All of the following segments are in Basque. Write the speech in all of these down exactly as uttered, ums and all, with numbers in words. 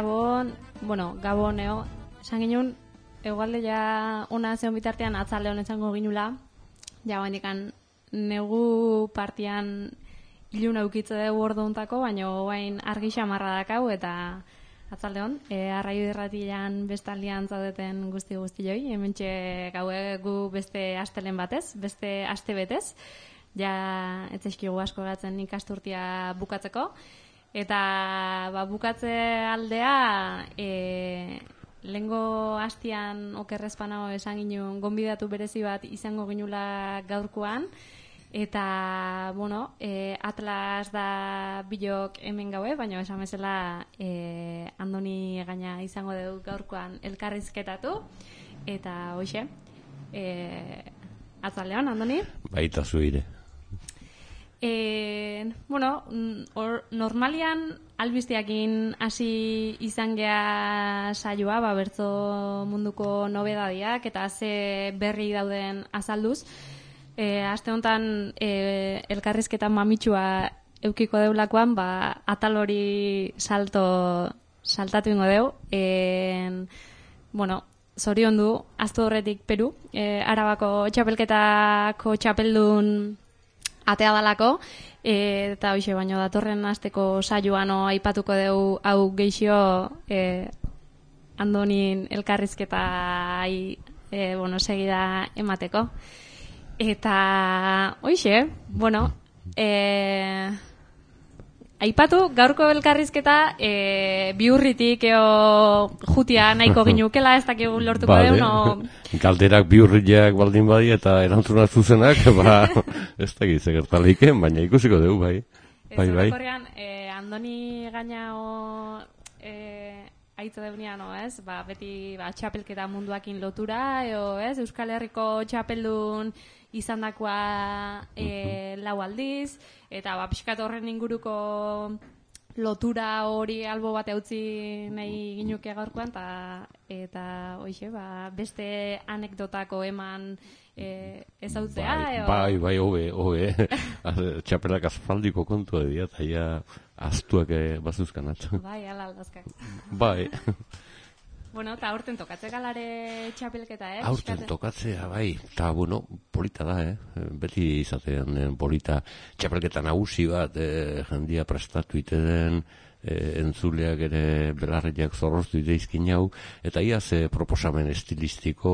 Gabon, bueno, Gaboneo, esan ginen, egualde ja ona zeon bitartean atzalde honetxango ginula, ja bandikan negu partian ilun aukitze dugu ordu ontako, baina guain argi xamarra dakau eta atzalde hon, e, arraio irratian bestaldian zaudeten guzti guztioi, hementxe gaue gu beste astelen batez, beste aste betez, ja etzeskigu asko gatzen ikasturtia bukatzeko, eta ba, bukatze aldea e, lehengo hastian okerrezpanao esan ginen gonbidatu berezi bat izango ginula gaurkoan, eta, bueno, e, Atlas da bilok hemen gaue, baina esan bezala e, Andoni gaina izango dugu gaurkoan elkarrizketatu, eta hoxe, e, atzalean, Andoni? Baita zuire. E, bueno, or, normalian albisteakin hasi izan gea saioa, ba, bertzo munduko nobedadiak eta ze berri dauden azalduz. E, aste honetan e, elkarrizketan mamitsua eukiko deulakoan, ba, atal hori salto saltatu ingo deu. E, bueno, zorion du, aztu horretik Peru, e, Arabako txapelketako txapeldun atea dalako, e, eta hoxe baino datorren asteko saioan aipatuko dugu hau geixio e, Andonin elkarrizketa e, bueno, segida emateko. Eta hoxe, bueno, e, aipatu gaurko elkarrizketa e, biurritik eo jutia nahiko ginukela, ez dakigu lortuko vale. deun, no... Galderak biurriak baldin badi eta erantzuna zuzenak, ba, ez dakit zegertaliken, baina ikusiko dugu, bai. Bai, bai. Horrean, e, Andoni gaina o, e, aitzo deunia, no, ez? Ba, beti ba, txapelketa munduakin lotura, eo, ez? Euskal Herriko txapeldun izandakoa e, lau aldiz, eta ba, pixkat horren inguruko lotura hori albo bat eutzi nahi ginuke gaurkoan, ta, eta hoxe, ba, beste anekdotako eman e, ezautzea. Bai, eo... bai, bai, hobe, hobe. Txapelak azfaldiko kontu edia, eta ja aztuak bazuzkanat. Bai, ala aldazkak. Bai. Bueno, eta aurten tokatze galare txapelketa, eh? Aurten tokatzea, bai. Eta, bueno, polita da, eh? Beti izatean eh, polita txapelketa nagusi bat, eh, jendia prestatu ite den, eh, entzuleak ere belarriak zorroztu ite izkin hau, eta iaz eh, proposamen estilistiko,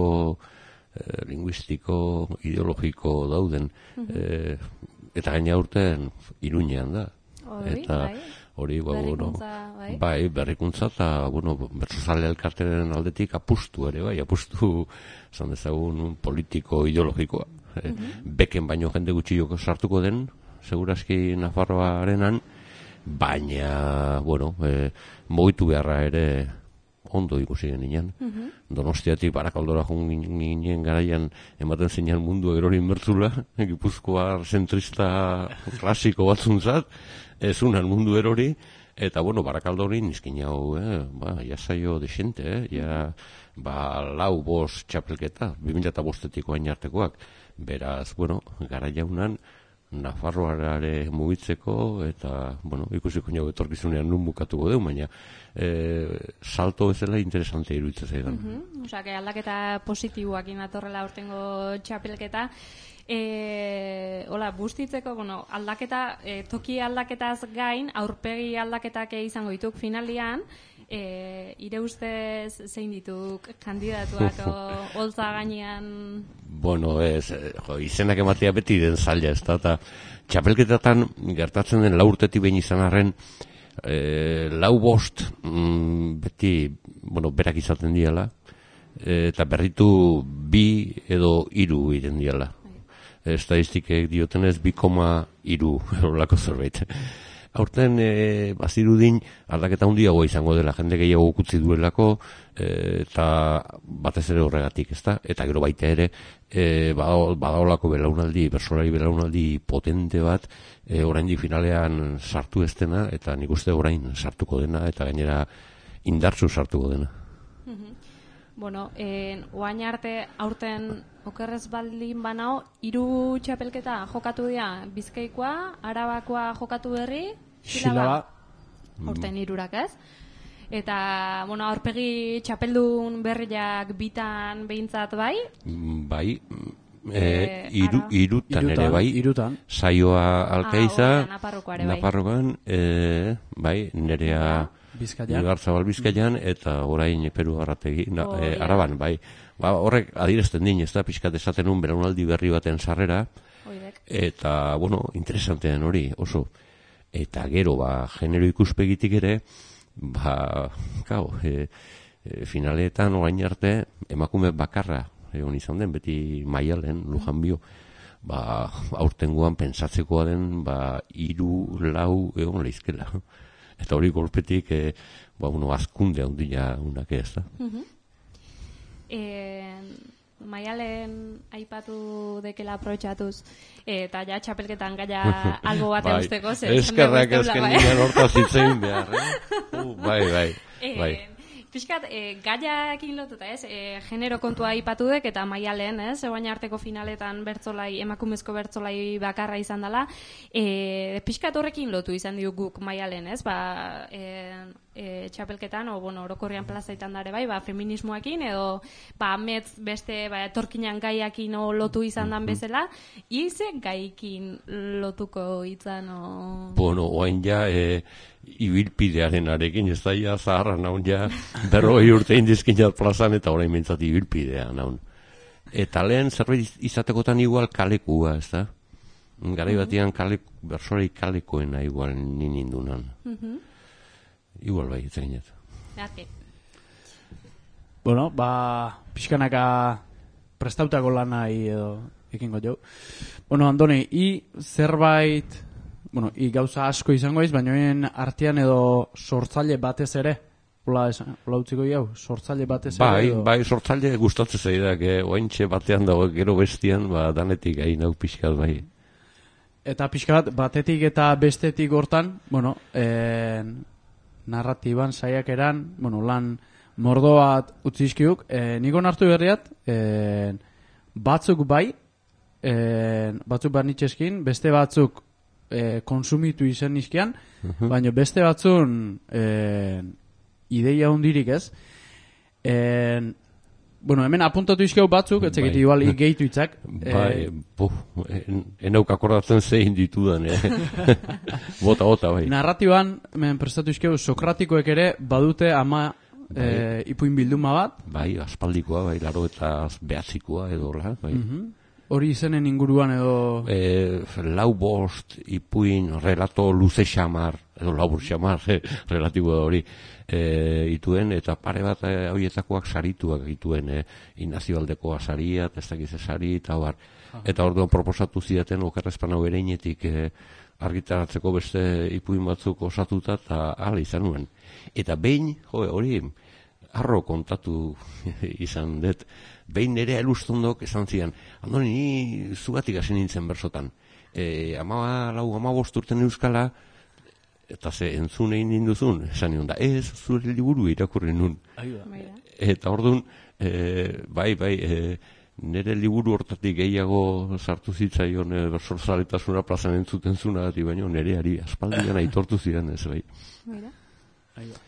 eh, linguistiko, ideologiko dauden. Uh-huh. eh, eta gaina aurten Iruñean da. Hori, eta, bai. Hori, ba, berrikuntza, bueno, bai, berrikuntza eta, bueno, bertsozale elkarteren aldetik apustu ere, bai, apustu, zan dezagun, politiko, ideologikoa. Uh-huh. E, beken baino jende gutxioko sartuko den, segurazki Nafarroarenan, baina, bueno, e, mugitu beharra ere ondo ikusi ginen. Uh-huh. Donostiatik Barakaldora joan ginen garaian ematen zeinan mundu erorin bertzula, Gipuzkoar zentrista klasiko batzuntzat, ez unan mundu erori, eta, bueno, Barakaldori nizkin hau, eh, ba, jasaio desente, eh, ja, ba, lau bost txapelketa, bi mila eta bostetik oain artekoak, beraz, bueno, gara jaunan, Nafarroare mugitzeko, eta, bueno, ikusiko jau etorkizunean nun bukatuko deu, baina e, salto bezala interesante iruditzen zaidan. Uh-huh. Osa, que aldaketa positiboak inatorrela urtengo txapelketa. E, hola, bustitzeko, bueno, aldaketa, e, toki aldaketaz gain, aurpegi aldaketak izango dituk finalian, e, ire ustez zein dituk kandidatuak holtza gainean? Bueno, ez, jo, izenak ematea beti den zaila, ez da, eta txapelketatan gertatzen den lau urtetik behin izan arren, e, lau bost mm, beti, bueno, berak izaten diala, e, eta berritu bi edo hiru iren diala. Estadistikek diotenez bi koma hiru horrelako zerbait. Aurten e, bazirudin aldaketa handiagoa izango dela, jende gehiago ukutzi duelako, e, eta batez ere horregatik, ezta? Eta gero baita ere e, badaolako belaunaldi, bersolari belaunaldi potente bat, e, oraindik finalean sartu ez dena, eta nik uste orain sartuko dena, eta gainera indartsu sartuko dena. Bueno, eh, oain arte aurten okerrez baldin banao, hiru txapelketa jokatu dira, Bizkaikoa, Arabakoa jokatu berri, Silaba. Aurten hirurak, ez? Eta, bueno, aurpegi txapeldun berriak bitan behintzat bai? Bai, e, iru, irutan, irutan ere bai, irutan. Saioa Alkaiza, ah, Naparrokoa ere bai. Naparrokoan, e, bai, nerea Bizkaian, Ibarzabal Bizkaian, eta orain Peru Arrategi, na, oh, e, Araban, bai. Ba, horrek adierazten din, ez da, pixkat esaten un belaunaldi berri baten sarrera, Oidek. Eta, bueno, interesantean hori, oso. Eta gero, ba, genero ikuspegitik ere, ba, gau, e, e, finaletan orain arte, emakume bakarra, egon izan den, beti Maialen, Lujan Bio, ba, aurtengoan pensatzekoa den, ba, hiru lau egon leizkela. Eta hori golpetik, e, ba, uno, azkunde handia unak ez da. Uh-huh. E, Maialen aipatu dekela aprobetxatuz, eta ja txapelketan gaia algo bat bai, eusteko. Eskerrak ezken ninen hortaz hitzein behar, eh? Uh, bai, bai, bai. E, Piskat, e, gaiakin lotuta, ez? E, genero kontua aipatu dek, eta Maialen, ez? Egoain arteko finaletan bertzolai, emakumezko bertzolai bakarra izan dela. E, Piskat horrekin lotu izan diuk guk Maialen, ez? Ba, e, e, txapelketan, o, bueno, orokorrian plazaitan dare bai, ba, feminismoakin, edo, ba, metz beste, ba, etorkinan gaiakin o, lotu izan dan bezala, ize gaikin lotuko izan, o... Bueno, oain ja, e, ibilpidearen arekin, ez da ja zaharra naun ja, berroi urte indizkinat plazan, eta orain mentzat ibilpidea naun. Eta lehen zerbait izatekotan igual kalekua, ez da? Garai batian kalek, bersorei kalekoena igual ninindunan. Uh-huh. Igual bai, itzainet. Arte. Bueno, ba, pixkanaka prestautako lanai edo ekingo jau. Bueno, Andoni, i zerbait... Bueno, i gauza asko izango iz, baina en artean edo sortzaile batez ere, hola, esan, hola utziko jau, sortzaile batez ere. Bai, edo... bai, sortzaile gustatzen zaidak, eh? Oaintxe batean dago, gero bestian, ba, danetik hain hau pixkat bai. Eta pixkat, batetik eta bestetik hortan, bueno, en, narratiban, saiakeran, bueno, lan mordo bat utzizkiuk, eh, niko nartu berriat, eh, batzuk bai, eh, batzuk barnitxeskin, beste batzuk E, konsumitu izan nizkian, uh-huh. baina beste batzun e, ideia hundirik ez. E, bueno, hemen apuntatu izkeu batzuk, etzekit bai. Igual igeitu itzak. Bai, e, en, enauk akordatzen zein ditudan, eh? bota, bota, bai. Narratiban, hemen prestatu izkeu, sokratikoek ere badute ama bai. e, ipuin bilduma bat. Bai, aspaldikoa, bai, laro eta behatzikoa edo, bai. Uh-huh. Hori izenen inguruan edo... E, lau bost, ipuin, relato luze xamar, edo labur xamar, eh, relatibo da hori, e, ituen, eta pare bat e, horietakoak sarituak ituen, e, Inazio Aldekoa saria, testakize sari, eta bar. Ah. Eta orduan proposatu zidaten, okerrezpan hau ereinetik e, argitaratzeko beste ipuin batzuk osatuta, eta ala izan nuen. Eta behin, jo, hori, arro kontatu izan dut, behin nire elustondok esan zian, Andoni, ni zugatik hasi nintzen bersotan. E, ama lau, ama bosturten euskala, eta ze entzun egin ninduzun, esan nion da, ez, zure liburu irakurri nun. Eta orduan, e, bai, bai, e, nire liburu hortatik gehiago sartu zitzaion e, bersorzaletasuna plazan entzuten zuna, baina nireari aspaldian aitortu zidan ez, bai. Mira. Aiba.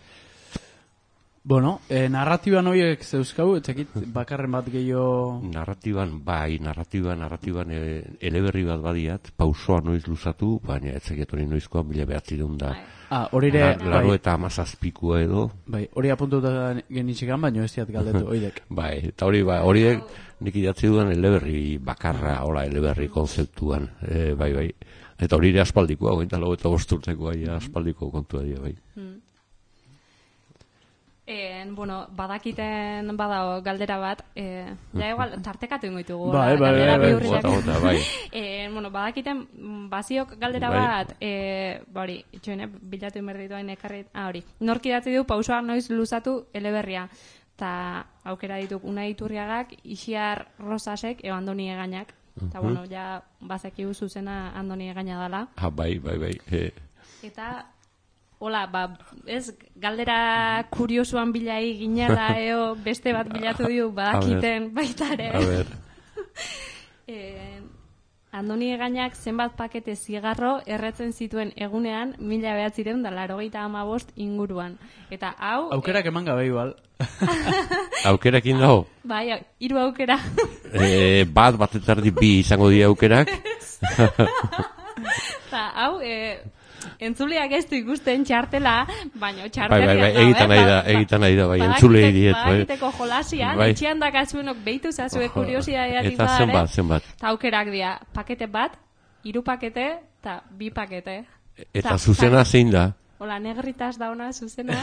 Bueno, eh, narratiban horiek zeuzkau, etzekit bakarren bat gehiago... Narratiban, bai, narratiban, narratiban e, eleberri bat badiat, pausoa noiz luzatu, baina etzeket hori noizkoa mila behatzireun da. Ah, hori ere... Laro eta amazazpikua edo. Bai, hori apuntuta genitxekan, baina ez diat galdetu, oidek. Bai, eta hori, bai, horiek nik idatzi dudan eleberri bakarra, hola, eleberri konzeptuan, e, bai, bai. Eta hori ere aspaldikoa, gointa lau eta bosturteko, bai, aspaldiko kontua dira, bai. Hmm. En, bueno, badakiten badao galdera bat, eh, ja igual tartekatu ingoitugu. Bai, bai, bai, bai, bai. Eh, bueno, badakiten baziok galdera bai. bat, eh, hori, itxoene, bilatu inberditu hain ekarri, ah, hori, nork idatzi du pausoa noiz luzatu eleberria, eta aukera dituk Unai Iturriagak, Ixiar Rosasek, eo Andoni Egainak, eta uh-huh. bueno, ja bazekiu zuzena Andoni Egaina dela. Ah, bai, bai, bai. Eh. Eta... Hola, ba, ez, galdera kuriosuan bilai ginela, eo, beste bat bilatu diu, badakiten baita ere. A ber. eh, Andoni Egainak zenbat pakete zigarro erretzen zituen egunean mila behatzireun da laurogeita hamabost inguruan. Eta hau... Aukerak eman gabe igual. Aukerakin dago? Bai, hiru aukera. e, bat, bat eta erdi bi izango dira aukerak. Eta hau... E, entzuleak ez du ikusten txartela, baina Bai, txartela... bai, bai, egiten nahi da, egiten nahi da, bai, entzulei diet. Bagiteko jolasian, bai. Etxean dakatzuenok behitu zazue kuriosidadiatik Eta badare. zenbat, zenbat. Eta aukerak dira, pakete bat, hiru pakete, eta bi pakete. Eta zuzena zein da? Hola, negritas da ona zuzena,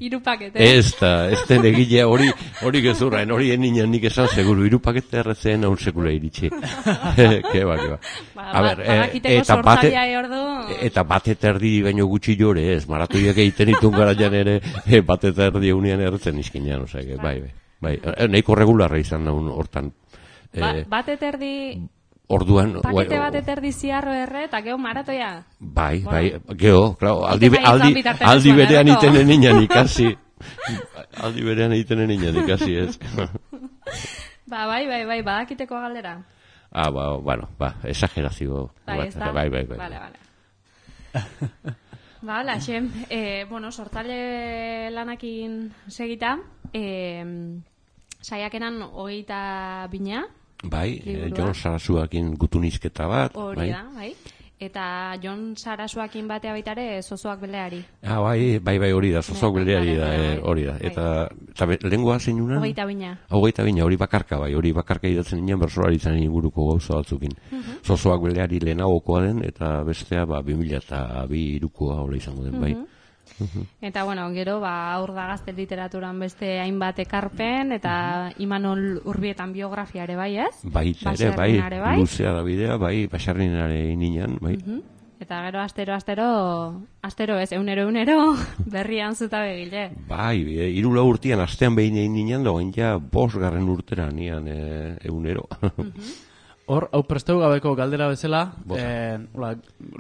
hiru pakete. Ez da, ez den egile hori, hori gezurraen, hori eninen nik esan seguru, hiru pakete erretzen haun sekula iritsi. Keba, keba. Ba, A ber, ba, eh, eta bate, ordu... eta bat eta erdi baino gutxi jore, ez, maratoiak egiten ditun garaian ere, eh, bat eta erdi egunean erretzen izkinean, osea, bai, bai, bai, eh, nahiko regularra izan naun hortan. Ba, Eh, bat eta erdi... Orduan... Pakete bat eta erdi ziarro erre, eta geho maratoia. Bai, Bueno. bai, geho, claro, aldi, Bai, aldi, izan bitarteko aldi zuen, berean erreko. itenen inan ikasi. Aldi berean itenen inan ikasi, ez. Ba, bai, bai, bai, badakiteko galdera. Ah, ba, bueno, ba, exagerazio. Bai, bat, ez da? bai, bai, bai. Vale, vale. Ba, hala, xem, eh, bueno, sortzale lanakin segita, eh, saiakeran hogeita bina, Bai, eh, liburua. Jon Sarasuakin gutunizketa bat. hori bai. da, bai. Eta Jon Sarasuakin batea baitare zozoak beleari. Ah, bai, bai, bai, hori da, zozoak Bai, beleari da, bai, eh, bai. hori da. Bai. Eta, eta be- lehengoa zein unan? Hogeita bina. Hogeita bina, hori bakarka bai, hori bakarka idatzen nian bersolari zan inguruko gauza batzukin. Mhm. Zozoak beleari lehenagokoa den, eta bestea, ba, bi mila eta bi irukoa hola izango den, bai. Eta, bueno, gero, ba, aur da gazte literaturan beste hainbat ekarpen, eta Imanol Urbietan biografia ere bai, ez? Baita ere, bai, Basarrinare bai. luzea da bidea, bai, basarrinare ininan, bai. Mhm. Eta gero astero, astero, astero ez, eunero, eunero, berrian zuta begile. Bai, e, irula urtean astean behin egin nian, da oin ja bos garren urtera nian e, eunero. Hor, hau presteu gabeko galdera bezala, Bota. eh, hola,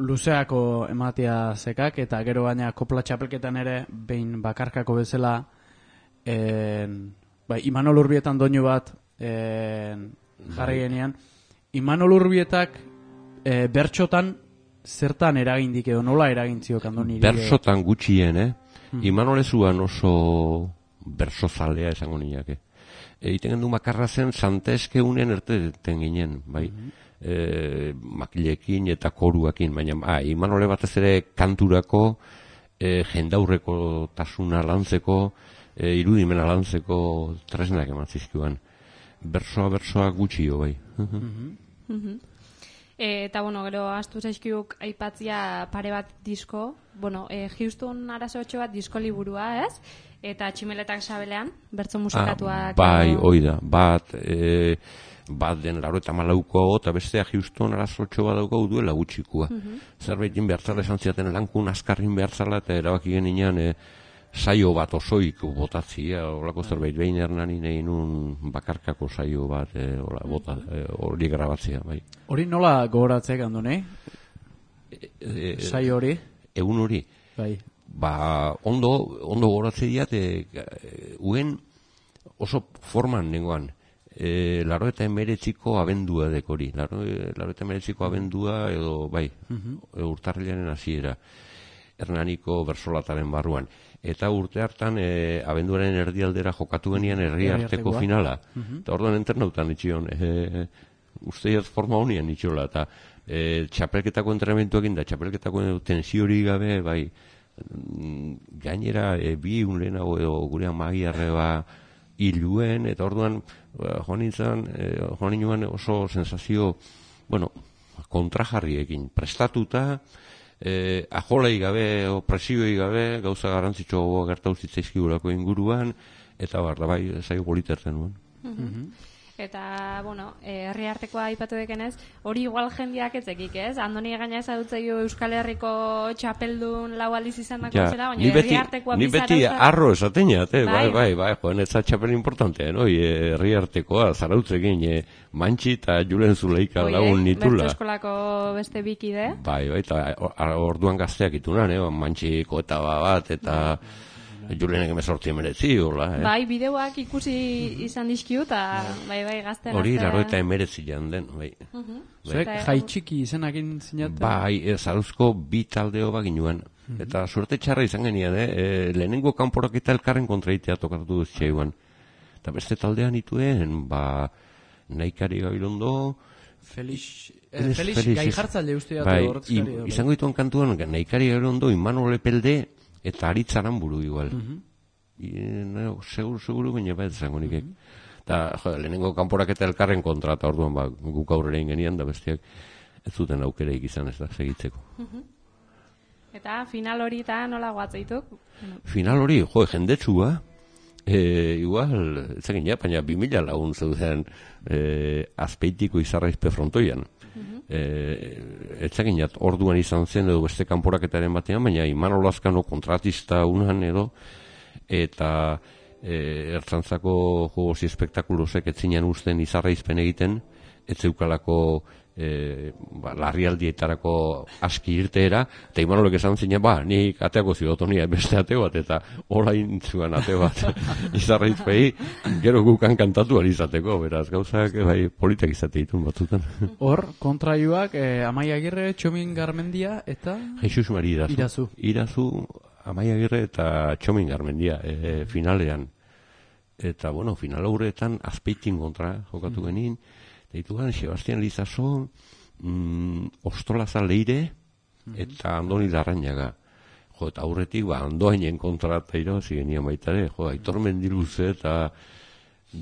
luzeako ematia zekak, eta gero baina kopla txapelketan ere, behin bakarkako bezala, eh, bai, Imanol Urbietan doinu bat eh, jarri genian. Imanol Urbietak eh, bertxotan zertan eragindik edo nola eragintzio Andoni? Bersotan gutxien, eh? Imanolezuan oso bersozalea esango niake. Egiten gendu makarra zen santeske unen erteten ginen, bai. E, makilekin eta koruakin, baina ah, Imanole batez ere kanturako, e, jendaurreko tasuna lantzeko, e, irudimena lantzeko tresnak eman zizkiuan. Bersoa, bersoa gutxio, bai. E, eta, bueno, gero, astu zaizkiuk aipatzia pare bat disko, bueno, e, Houston Arasotxo bat disko liburua, ez? Eta Tximeletak Sabelean, bertso musikatuak... Ah, bai, edo- hoi da, bat, e, bat den laro eta malauko, eta bestea Houston Arasotxo bat daukau duela gutxikua. Zerbaitin behartzala esan ziaten lankun askarrin behartzala, eta erabaki genian e, saio bat osoik botatzia, olako zerbait behin hernanin egin un bakarkako saio bat, e, ola, bota, e, hori grabatzea, bai. Hori nola gogoratzek, Andoni? E, Sai hori? Egun hori, Bai. ba, ondo, ondo goratze diat, e, e, uen oso forman nengoan, e, laro eta emeretziko abendua dekori, laro, laro eta emeretziko abendua edo, bai, e, urtarrilaren hasiera, Hernaniko bersolataren barruan. Eta urte hartan, e, abenduaren erdialdera jokatu genian herri arteko Herriartekoa. finala. Eta orduan entrenautan itxion, e, usteiaz forma honian itxola, eta e, txapelketako entrenamentuekin da, txapelketako tensiori gabe, bai, mm, gainera e, bi un lehenago edo gure amagiarreba hiluen, eta orduan ba, joan nintzen, e, joan ninoan oso sensazio, bueno, kontrajarriekin, prestatuta, e, ajolai gabe, o presioi gabe, gauza garrantzitsuagoa gertatu zitzaizkigulako inguruan, eta bar, da bai, zaio politertzen nuen. Eta, bueno, eh, herri artekoa aipatu dekenez, hori igual jendiak etzekik, ez? Andoni Egaina ezagutzaio Euskal Herriko txapeldun lau aldiz izan dako Ja, zela, baina ni beti, herri artekoa ni bizarra beti uzta- arro esateñat, eh? bai, Bai, bai, bai, joan ez txapel importantea, no? Herri artekoa, zarautzekin, eh, Mantxi eta Julen Zuleika Oiek, lagun nitula. Bertso eskolako beste bikide. Bai, bai, eta orduan gazteak itunan, eh? Mantxiko eta bat, eta Julenek emezortzi emeretzi, hola, eh? Bai, bideoak ikusi izan dizkiu, eta bai, bai, gazten Hori, artean- laro eta emeretzi jan den, bai. Zuek jai txiki izenakin zinaten? Bai, Zarauzko bi taldeo baginuan. Mm-hmm. Eta suerte txarra izan genian, eh? E, lehenengo kanporak eta elkarren kontraitea tokatu duztxeiguan. Eta beste taldean ituen, ba, Naikari Gabilondo... Felix, eh, Felix, Felix gai jartzaile uste dut. Bai, izango dituen kantuan, Naikari Gabilondo, Imanol Epelde eta Aritzaran buru igual. Mm-hmm. I, no, seguru, seguru, baina bat izango nikek. Mm-hmm. Eta, jo, lehenengo kanporak eta elkarren kontra, eta orduan, ba, guk aurrera ingenian, da bestiak ez zuten aukereik izan ez da segitzeko. Mm-hmm. Eta final hori eta nola guatzeituk? Final hori, jo, jendetsua, e, igual, ezakin ja, baina bi mila lagun zeuden e, Azpeitiko Izarraizpe frontoian. Mm-hmm. E, ezakin jat, orduan izan zen edo beste kanporaketaren batean, baina Imanol Lazkano kontratista unan edo, eta e, ertzantzako jogozi espektakulosek etzinean usten Izarraizpen egiten, ez zeukalako e, ba, larrialdietarako aski irteera, eta Imanolek esan zinen, ba, nik ateako zidotonia beste ate bat, eta orain zuen ate bat Izarraizpei, gero gukan kantatu ari izateko, beraz, gauzak bai, politak izate ditun batzutan. Hor, kontraioak, eh, Amaia Agirre, Txomin Garmendia, eta... Jesus Mari Irazu. Irazu. Irazu, Amaia Agirre eta Txomin Garmendia, e, finalean. Eta, bueno, final horretan Azpeitin kontra jokatu mm. genin, dituan Sebastian Lizaso, mm, Ostolaza Leire mm. eta Andoni Larrañaga. Jo, eta aurretik, ba, Andoainen kontra eta irabazi genian baitare, jo, Aitor Mendiluze eta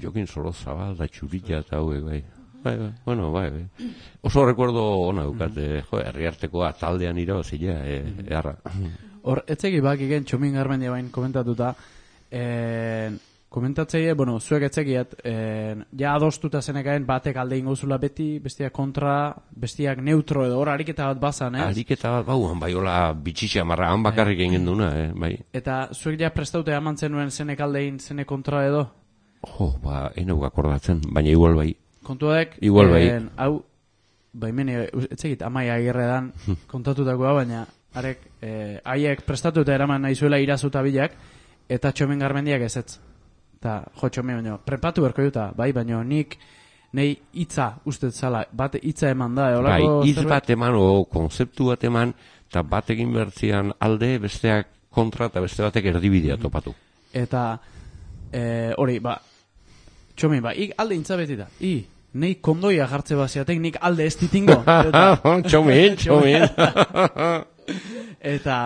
Jokin Sorozabal da Txurilla eta hauek, bai. Bai, bai, bueno, bai, bai. Oso recuerdo ona dukat, mm. eh, jo, herriartekoa taldean irabazia, eh, eharra. Hor, etzegi bak igen, Txomin Garmendia bain komentatuta, eh, komentatzeie, bueno, zuek etzekiat, eh, ja adostuta zenekaen batek alde ingozula beti, bestiak kontra, bestiak neutro edo hor ariketa bat bazan, ez? Ariketa bat bauan, bai, hola bitxitxa marra, han bakarrik egin duna, eh, bai. Eta zuek ja prestaute eman zenuen zenek aldein, zenek kontra edo? Jo, ba, enau akordatzen, baina igual bai. Kontuadek, igual bai. En, hau, baimeni, etzekit, Amaia Agirredan kontatutakoa, baina arek, eh, haiek prestatuta eraman nahi zuela Irazu eta bilak, eta Txomin Garmendiak ezetz. Eta, jo, Txomin, baina, prepatu berko juta, bai, baina nik, nahi hitza ustez zala, bat hitza eman da, bai, hitz bat eman, o konzeptu bat eman, eta bat egin bertzian alde, besteak kontra, eta beste batek erdibidea topatu. Eta, hori, eh, ba, Txomin, ba, ik alde intza betita, i, nahi kondoia jartze baziatek, nik alde ez ditingo. Txomin, Txomin. Eta,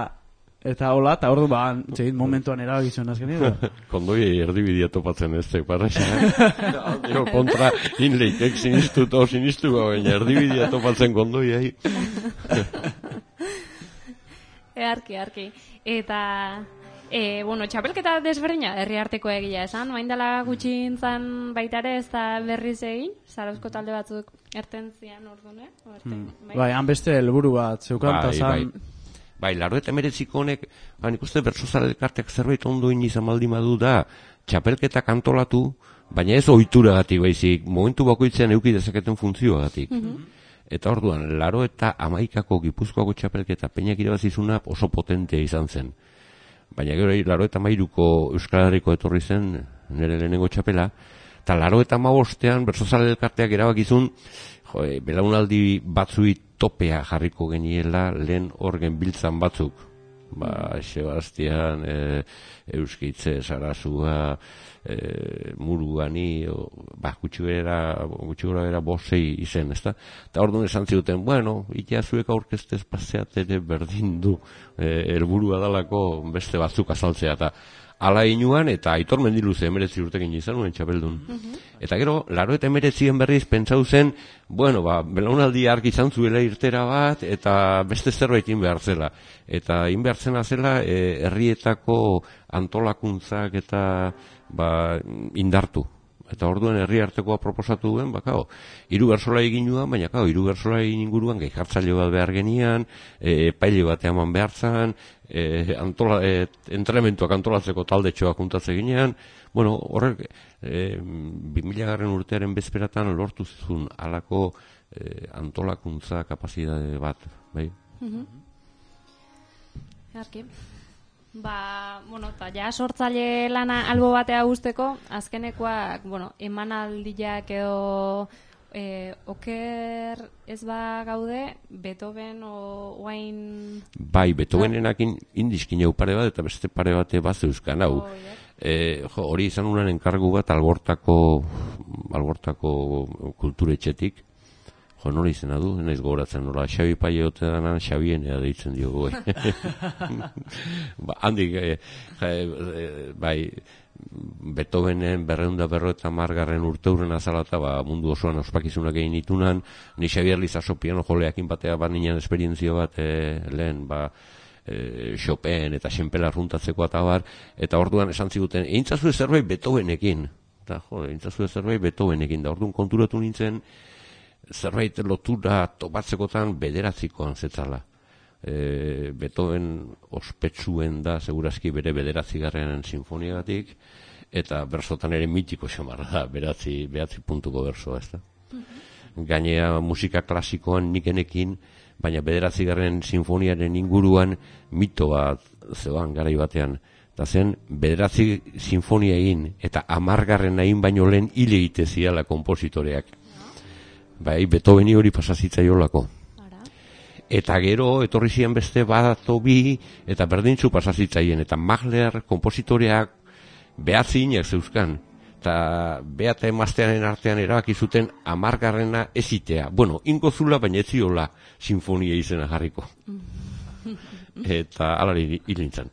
eta hola, eta ordu ba, txegit momentuan erabakizuen azkenean. Kondoi erdibidea topatzen ez tek, parraxa. Dio, kontra inleitek sinistu to sinistu, baina erdibidea topatzen kondoi, ahi. Earki, earki. Eta... E, bueno, txapelketa desberdina herriarteko egia esan, oain dela gutxintzan baitare ez da berriz egin, Zarauzko talde batzuk erten zian ordune. Hmm. Bai, han beste helburu bat zeukan bai, zan... bai. bai, laro eta meretziko honek, ba, nik uste Bertsozale elkarteak zerbait ondo izan baldin badu da, txapelketa kantolatu, baina ez ohituragatik baizik, momentu bakoitzean eduki dezaketen funtzioagatik. Mm-hmm. Eta orduan, laro eta hamaikako Gipuzkoako txapelketa peinak irabazizuna oso potentea izan zen. Baina gero laro eta mairuko Euskal Herriko etorri zen nire lehenengo txapela, eta laro eta mabostean Bertsozale elkarteak erabakizun, jo, e, belaunaldi batzui topea jarriko geniela lehen orgen biltzan batzuk. Ba, Sebastian, e, Euskitze, Sarasua, e, Muruani, o, ba, gutxigora bera bosei izen, ezta? Eta orduan esan ziuten, bueno, itea zuek aurkeztez paseat ere berdin du helburua dalako beste batzuk azaltzea, eta ala inuan, eta Aitor Mendiluze emeretzi urtekin izan nuen txapeldun. Mm-hmm. Eta gero, laro eta emeretzien berriz pentsau zen, bueno, ba, belaunaldi argi izan zuela irtera bat, eta beste zerbait inbehar zela. Eta inbehar zena zela, e, herrietako antolakuntzak eta ba, indartu. Eta orduan herri artekoa proposatu duen, ba, kao, hiru bertsolari egin duan, baina, kao, hiru bertsolari inguruan gai jartzaile bat behar genian, e, epaile bat eman behar zan, e, antola, e, entrenamentuak antolatzeko taldetxoak juntatze ginean, bueno, horrek, e, bi mila garren urtearen bezperatan lortu zizun alako e, antolakuntza kapazidade bat, bai? Mhm. Arki. Ba, bueno, eta ja sortzaile lana albo batea guzteko, azkenekoak, bueno, emanaldiak edo e, oker ez ba gaude, Beethoven o oain... Bai, Beethovenenakin indizkin jau pare bat, eta beste pare bate bat zeuzkan, hau. Oh, yeah. E, jo, hori izan unan enkargu bat albortako, albortako kulturetxetik. Jo, nola izena du, naiz gogoratzen, nola, Xabi Paie ote danan, Xabienea deitzen diogu. Ba, handik, e, e, bai, Beethovenen berreunda berro eta margarren urteuren azalata, ba, mundu osoan ospakizunak egin itunan, ni Xabier Lizaso piano joleakin batea bat ninen esperientzio bat, e, lehen, ba, e, Chopin eta Xenpela runtatzeko eta bar, eta orduan esan ziguten, eintzazu zerbait Beethovenekin, eta jo, eintzazu zerbait Beethovenekin, da orduan konturatu nintzen, zerbait lotura topatzekotan bederatzikoan zetzala. E, Beethoven ospetsuen da, segurazki bere bederatzigarren sinfoniagatik, eta bersotan ere mitiko xamarra da, beratzi, beratzi puntuko bersoa, ez da. Mm-hmm. Gainea musika klasikoan nikenekin, baina bederatzigarren sinfoniaren inguruan mito bat zeban garai batean. Eta zen, bederatzi sinfonia egin, eta amargarren hain baino lehen hile egite ziala kompositoreak. Bai, Beethoveni hori pasazitzaiolako. Eta gero, etorri zian beste badato bi, eta berdintzu pasazitzaien, eta Mahler kompositoreak behatziinak zeuzkan. Eta beata emaztearen artean erabaki zuten amargarrena ezitea. Bueno, ingo zula, baina ez ziola sinfonia izena jarriko. Eta alari hilintzan.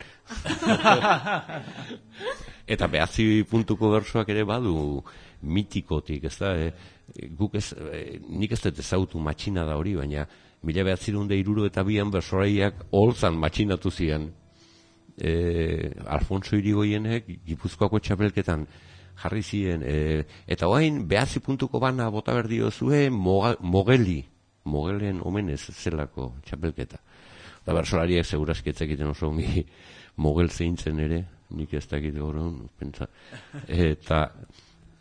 Eta behatzi puntuko bersoak ere badu mitikotik, ez da, e, guk ez, e, nik ez dut ezautu matxina da hori, baina mila behatzirunde iruro eta bian bersoraiak holtzan matxinatu zian. E, Alfonso Irigoienek Gipuzkoako txapelketan jarri ziren, e, eta oain behatzi puntuko bana bota berdio zuen Mogeli, Mogelen omenez zelako txapelketa. Eta bersolariak segurazki etzakiten oso ongi Mogel zeintzen ere, nik ez dakit gaurun, pentsa. Eta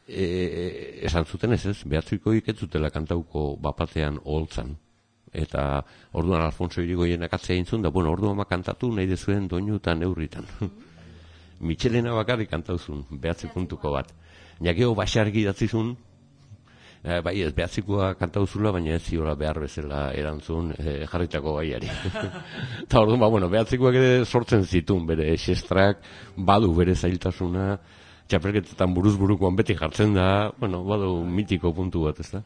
e, esan zuten ez ez, behatziko iketzutela kantauko bapatean holtzan. Eta orduan Alfonso Irigoienak atzea intzun, da, bueno, orduan kantatu nahi dezuen doinu eta neurritan. Mitxelena bakarrik kantauzun, behatzi puntuko bat. Nakeo basargi datzizun, eh, bai ez behatzikoa kantauzula, baina ez ziola behar bezala erantzun eh, jarritako gaiari. Eta orduan, ba, bueno, behatzikoak ere sortzen zitun, bere xestrak, badu bere zailtasuna, txapelketetan buruz burukoan beti jartzen da, bueno, badu mitiko puntu bat, ez da?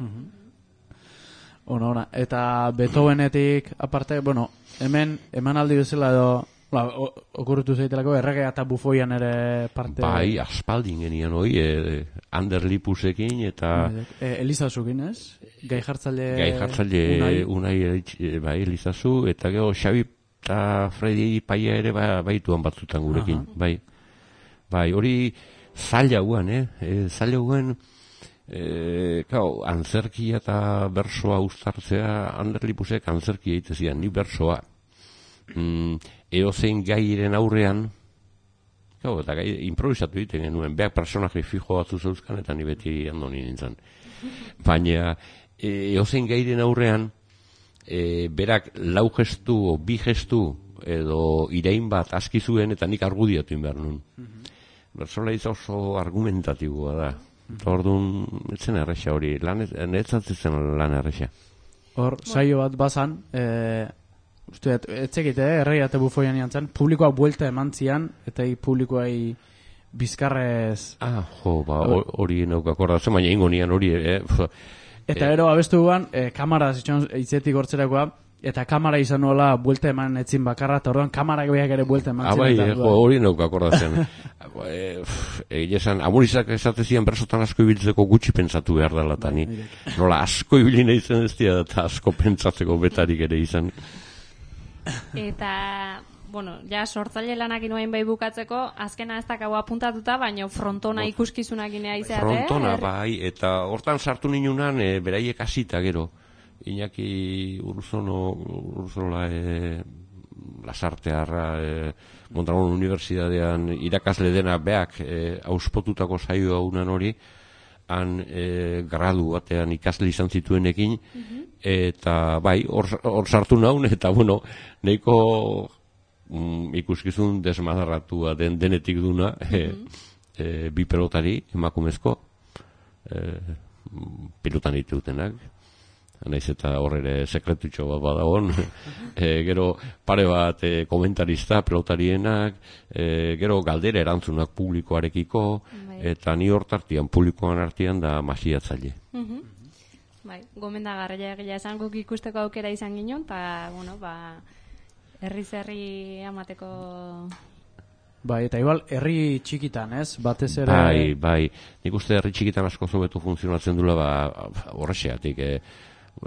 Ona, ona. Eta Beethovenetik aparte, bueno, hemen emanaldi bezala edo ba, okurritu zaitelako erregea eta bufoian ere parte... Bai, aspaldin genian hoi, e, Ander Lipusekin eta... E, Elizazukin, ez? Gai jartzaile... Gai jartzaile unai, unai bai, Elizazu, eta gero Xabi eta Fredi Paia ere ba, baituan batzutan gurekin, aha, bai. Bai, hori zaila guan, eh? E, zaila guan... E, kao, antzerkia eta bersoa uztartzea, Ander Lipusek antzerkia egitezian, ni bersoa. Mm, eozein gairen aurrean, kao, eta gai, improvisatu egiten genuen, beak personaje fijo batzu zeuzkan, eta ni beti andoni nintzen. Baina, eozein gairen aurrean, e, berak lau gestu, o bi gestu, edo irain bat aski zuen, eta nik argudiatu behar nun. Bersola izan oso argumentatiboa da. Orduan, etzen erresa hori, netzatzen lan erresa. Hor, saio bat bazan, e, uste, etzekite, eh, errei eta bufoian jantzen, publikoa buelta eman zian, eta publikoai bizkarrez... Ah, jo, ba, hori nauk akordatzen, baina ingo nian hori, eh? Eta ero, abestu guan, e, kamara zitxon itzetik hortzerakoa, eta kamara izan nola buelta eman etzin bakarra, eta orduan kamarak beak ere buelta eman zen. Abai, jo, hori nauk akordatzen. Egin esan, amurizak esatezian bersotan asko ibiltzeko gutxi pentsatu behar dela, eta ni nola asko ibili nahi zen ez dira, eta asko pentsatzeko betarik ere izan. Eta, bueno, ja sortzaile lanak inoain bai bukatzeko, azkena ez dakau apuntatuta, baina frontona ikuskizunak inea izatea. Frontona, bai, eta hortan sartu ninunan, e, beraiek hasita gero. Iñaki Urzono, Urzola, e, Lasartearra, e, Mondragon Unibertsitatean irakasle dena beak e, auspotutako saioa unan hori, han e, gradu batean ikasle izan zituenekin, mm-hmm, eta bai, hor sartu naun, eta bueno, nahiko mm, ikuskizun desmadarratua den denetik duna, mm-hmm, e, e, bi pelotari emakumezko, e, pilotan ditutenak, naiz eta horre sekretutxo bat badagon, e, gero pare bat e, komentarista pelotarienak, e, gero galdera erantzunak publikoarekiko, bai. Eta ni hortartian publikoan artean da masiatzaile. Uh-huh. Bai, gomendagarria egia esan guk ikusteko aukera izan ginen, eta, bueno, ba, herri-zerri amateko... Bai, eta igual, herri txikitan, ez? Batez ere... Bai, bai, nik uste herri txikitan asko zobetu funtzionatzen dula, ba, horrexeatik, eh,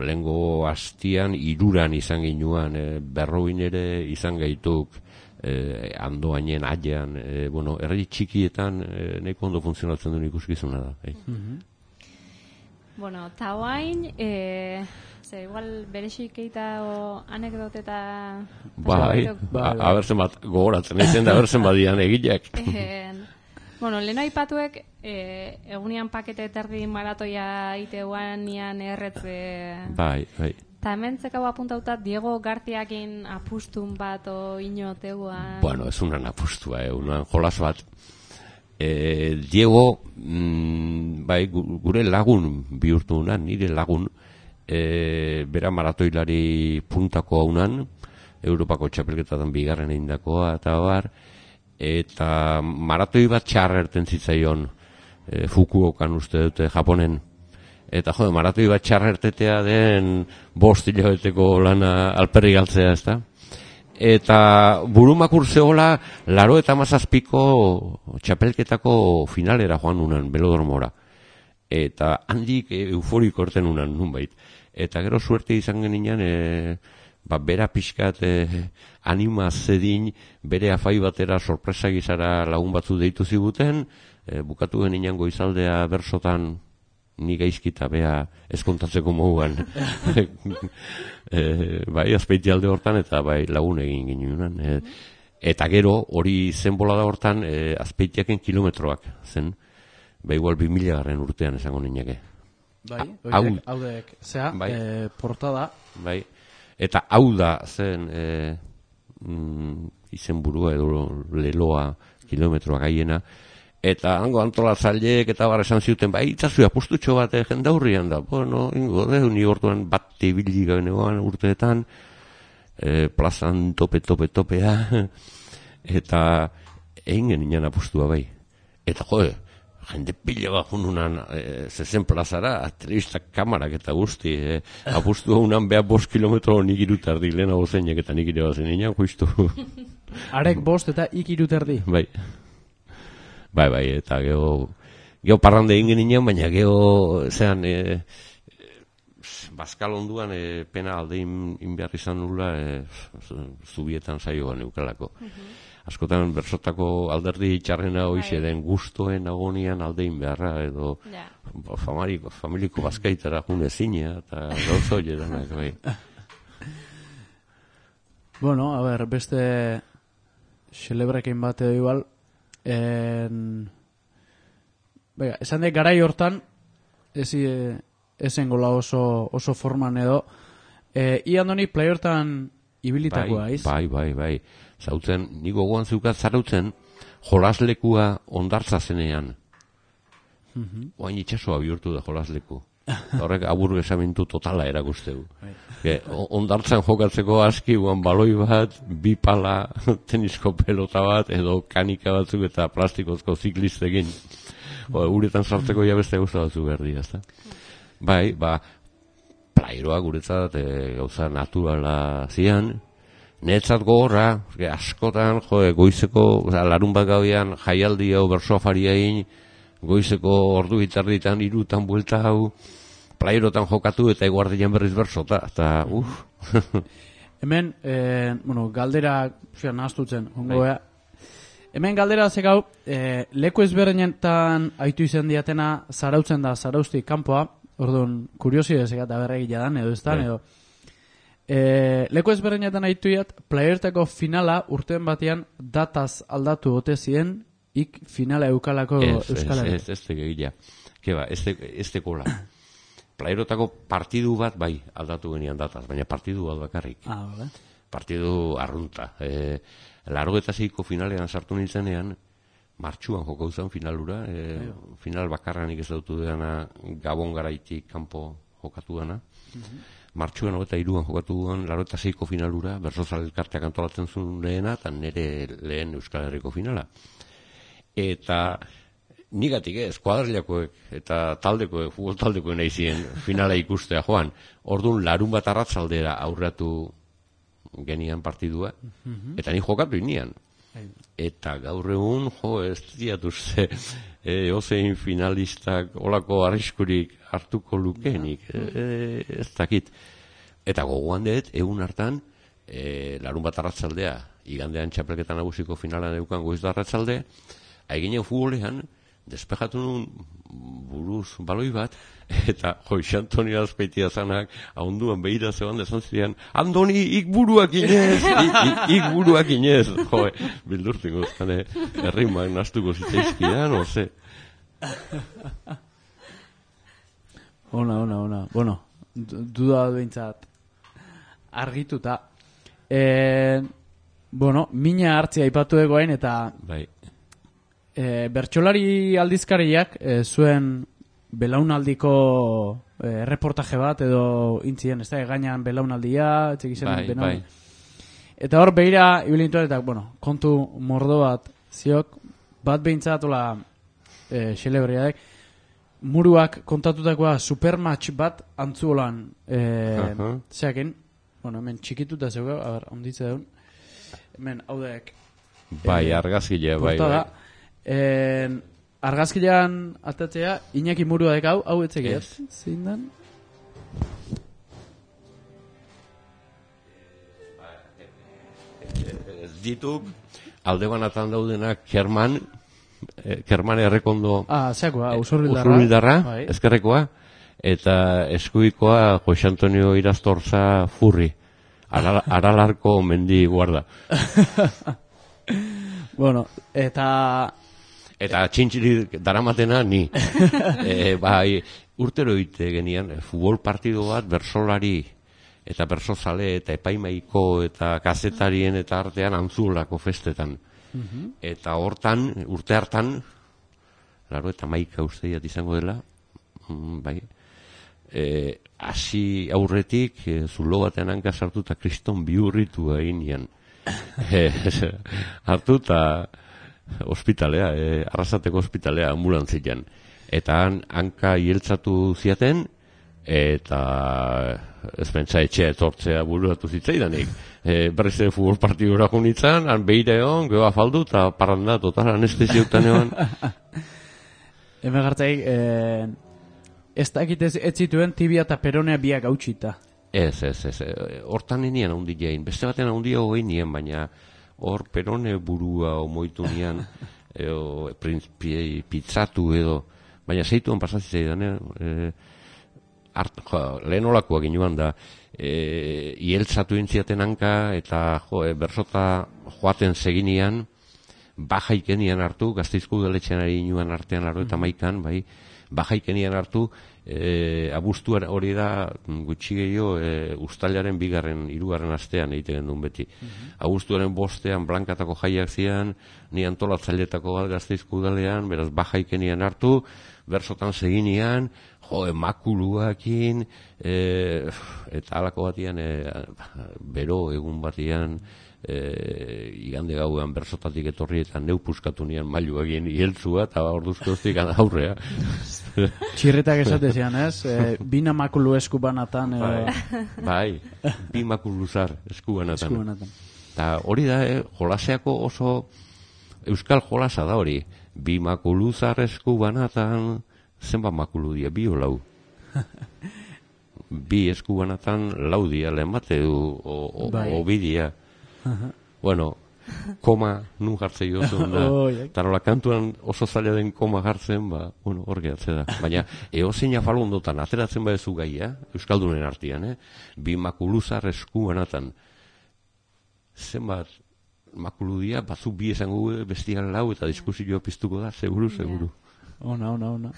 lehengo hastian iruran izan ginuan, eh, berroin ere izan gaituk, eh, andoainen, aian, eh, bueno, herri txikietan eh, nahiko ondo funtzionatzen duen ikuskizuna da. Eh. Mm-hmm. Bueno, eta hoain, e, ze, igual berexik eita o anekdote eta... Bai, abertzen bat gogoratzen egiten da, abertzen badian egileak. Bueno, leheno aipatuek, e, egunian pakete terdi maratoia iteuan nian erretze... Bai, bai. Eta hemen zekau apuntauta Diego Gartiakin apustun bat o inoteuan... Bueno, ez unan apustua, eh, unan jolas bat. Eh, Diego, mm, bai, gure lagun bihurtu unan, nire lagun, eh, bera maratoilari puntako haunan, Europako txapelketatan bigarren eindakoa, eta bar, eta maratoi bat txarrerten zitzaion, eh, Fukuokan uste dute Japonen. Eta jode, maratoi bat txarrertetea den bost hilabeteko lana alperri galtzea, ez da? Eta burumakur zehola, laro eta mazazpiko txapelketako finalera joan unan, belodormora. Eta handik euforiko orten unan, nunbait. Eta gero suerte izan genian, e, ba, bera pixkat e, anima zedin, bere afai batera sorpresa gizara lagun batzu deitu ziguten, e, bukatu genian goizaldea bersotan, ni gaizkita bea eskontatzeko moduan. e, bai, azpeiti alde hortan, eta bai, lagun egin ginunan. E, eta gero, hori zen bolada hortan, e, azpeitiaken kilometroak zen. Bai, igual bi mila garren urtean esango nineke. Bai, oidek, haudek, zea, bai, e, portada. Bai, eta hau da zen e, mm, izen burua edo leloa kilometroak aiena. Eta hango antolatzaileek eta bar esan zuten, bai, itzazu apustutxo bat eh, jendaurrian da. Bueno, ingo, de, ni orduan bat ibili gabenean urteetan, eh, plazan tope, tope, topea, eta egin genian apustua bai. Eta jode, jende pila bat jununan eh, zezen plazara, telebistak kamarak eta guzti, eh, apustua unan beha bost kilometro nik irutardi, lehenago zeinak eta nik ire bazen inan, justu. Arek bost eta ik irutardi. Bai. Bai, bai, eta geho, geho parrande egin genian, baina geho, zean, e, bazkal onduan, e, pena aldein inbehar izan nula, e, zubietan saioan eukalako. Uh-huh. Askotan, bersotako alderdi txarrena hoize den gustoen agonian aldein beharra, edo yeah. familiko, familiko bazkaitara june zinea, eta gauzo jedanak, bai. Bueno, a ver, beste xelebrekin bat edo igual, En... Bega, esan dek garai hortan ezi, ezen gola oso, oso forman edo e, i andoni play hortan ibilitakoa, bai, iz? Bai, bai, bai zautzen, niko gogoan zeukat zarautzen jolaslekua ondartza zenean mm-hmm. Oain itxasoa bihurtu da jolasleku horrek aburru esamintu totala erakustegu. Ondartzan jokatzeko aski guan baloi bat, bi pala, tenisko pelota bat, edo kanika batzuk eta plastikozko ziklistekin. Uretan sartzeko ja beste gauza batzuk berdi, ezta? Bai, ba, plairoa guretzat e, gauza naturala zian, netzat gogorra, askotan, jo, goizeko, larun bat gauean jaialdi hau bersoa fariain, goizeko ordu bitarditan irutan buelta hau, playerotan jokatu eta eguardian berriz bersota, eta uff. Hemen, eh, bueno, galdera, zera, nahaztutzen, ongoa. Hemen galdera zekau, eh, leku ezberdinetan aitu izan diatena zarautzen da zarauztik kanpoa, orduan, kuriosi ezek eta berregila dan, edo ez dan, edo. Eh, leku ezberdinetan aitu iat, playertako finala urtean batean dataz aldatu ote ziren, ik finala eukalako euskalari. Ez, ez, ez tegegila. Keba, ez tekola. Playerotako partidu bat bai aldatu genian dataz, baina partidu bat bakarrik. Ah, vale. Partidu arrunta. E, Largo eta zeiko finalean sartu nintzenean, martxuan jokau zen finalura, e, final bakarranik ez dautu dena Gabon garaitik kanpo jokatu dena. Mm-hmm. Martxuan hogeita hiruan jokatu duen laurogeita seiko finalura, Bersozal elkarteak antolatzen zuen lehena, eta nire lehen Euskal Herriko finala. Eta nigatik ez, kuadrilakoek eta taldekoek, futbol taldekoek nahi ziren finala ikustea joan. Orduan larun bat arratzaldera aurratu genian partidua, mm-hmm. eta ni jokatu inian. Eta gaur egun, jo, ez diatu ze, e, ozein finalistak olako arriskurik hartuko lukenik, e, ez dakit. Eta gogoan dut, egun hartan, e, larun bat arratzaldea, igandean txapelketa nagusiko finalan eukan goiz da arratzalde, haiginen futbolean, despejatu nun buruz baloi bat, eta Joix Antonio Azpeitia zanak, ahonduan behira zeban dezan ziren, Andoni, ik buruak inez, ik buruak inez, jo, bildurtiko zane, errimak nastuko zitzaizkidan, oze. Ona, ona, ona, bueno, duda behintzat argituta. Eh, bueno, mina hartzia aipatu egoain, eta... Bai. E, bertsolari aldizkariak e, zuen belaunaldiko e, reportaje bat edo intzien, ez da, gainan belaunaldia, txekizen bai, belaunaldia. Bai. Eta hor behira, ibilintuan, eta, bueno, kontu mordo bat ziok, bat behintzatola e, xelebriadek, muruak kontatutakoa supermatch bat antzuolan e, uh-huh. zeakin, bueno, hemen txikituta zeuga, a ber, onditze daun, hemen, hau daek. Bai, e, argazkilea, bai, bai. En, argazkilean atatzea, Iñaki murua dek hau, hau etzek ez? Zein dan? Ez dituk, alde banatan daudenak Kerman, eh, Kerman errekondo... Ah, zeakoa, usurbildarra. Usurbildarra, bai. ezkerrekoa, eta eskuikoa Joix Antonio Irastorza Furri, Aral, Aralarko mendi guarda. Bueno, eta... Eta txintxiri daramatena ni. e, bai, urtero ite genian, futbol partido bat, bersolari eta bersozale eta epaimaiko eta kazetarien eta artean antzulako festetan. Uh-huh. Eta hortan, urte hartan, laro eta maika usteiat izango dela, mm, bai, e, hasi aurretik, e, zulo batean hanka sartu eta kriston bihurritu egin nian. Hartu eta ospitalea, eh, arrasateko ospitalea ambulantzian. Eta han, hanka hieltzatu ziaten, eta ez pentsa etxea etortzea bururatu zitzaidanik. E, berriz ere futbol partidura junitzen, han behire egon, geho afaldu, eta parranda, total anesteziautan egon. Hemen gartzaik, eh, ez dakit ez zituen tibia eta peronea biak hautsita. Ez, ez, ez, hortan nien haundi jain, beste baten haundi hau egin nien, baina hor perone burua omoitu nian, edo, pizzatu edo, baina zeituan pasatzea e, lehen olakoak inuan da, e, ieltzatu intziaten hanka, eta jo, e, bersota joaten seginian, bajaikenian hartu, Gasteizko udaletxean ari inuan artean laro eta maikan, bai, bajaikenian hartu, e, abuztuan hori da gutxi gehiago e, uztailaren bigarren, hirugarren astean egiten duen beti. Mm-hmm. Abuztuaren bostean blankatako jaiak zian, ni antolatzailetako bat Gasteizko udalean, beraz bajaikenian hartu, bersotan seginian, jo, emakuluakin, e, eta halako batian, e, bero egun batian, E, igande gauean bersotatik etorri eta neu puskatu nian mailu egin ieltzua eta orduzko hostik aurrea. Txirretak esatezian, ez? E, bina makulu eskubanatan. E... Bai, bai, bi makuluzar eskubanatan. Eta hori da, eh, jolaseako oso euskal jolasa da hori. Bi makuluzar eskubanatan, zenbat makulu dia, bi o lau. Bi eskubanatan lau dia, lehen bate du, o, o, bai. O bi dia. Uh-huh. Bueno, koma nun jartzei oso da. Oh, tarola kantuan oso zaila den koma jartzen, ba, bueno, hor gehatze da. Baina, eozein afalondotan, ateratzen badezu gaia, euskaldunen artian, eh? Bi makuluzar eskubanatan. Zenbat makuludia, batzu bi esango bestian lau eta diskusio piztuko da, seguru, seguru. Yeah. Ona, ona, ona.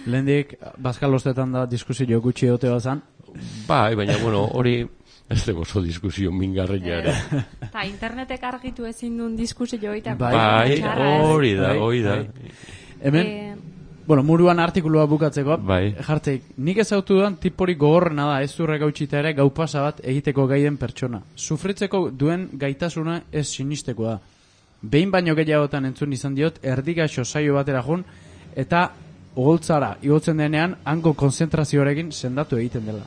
Lehendik, bazkalostetan da diskusio gutxi ote bazan? Bai, baina, bueno, hori... ez dago oso diskusio mingarria ere. Eta internetek argitu ezin duen diskusio eta bai, hori da, hori da. Hemen, Eh, bueno, muruan artikulua bukatzeko, Bai. jartzeik, nik ezautu duan tipori gogorrena da, ez zurre gautxita ere gau pasa bat egiteko gaiden pertsona. Sufritzeko duen gaitasuna ez sinisteko da. Behin baino gehiagotan entzun izan diot, erdigaxo saio batera jun, eta oholtzara igotzen denean, hango konzentrazioarekin sendatu egiten dela.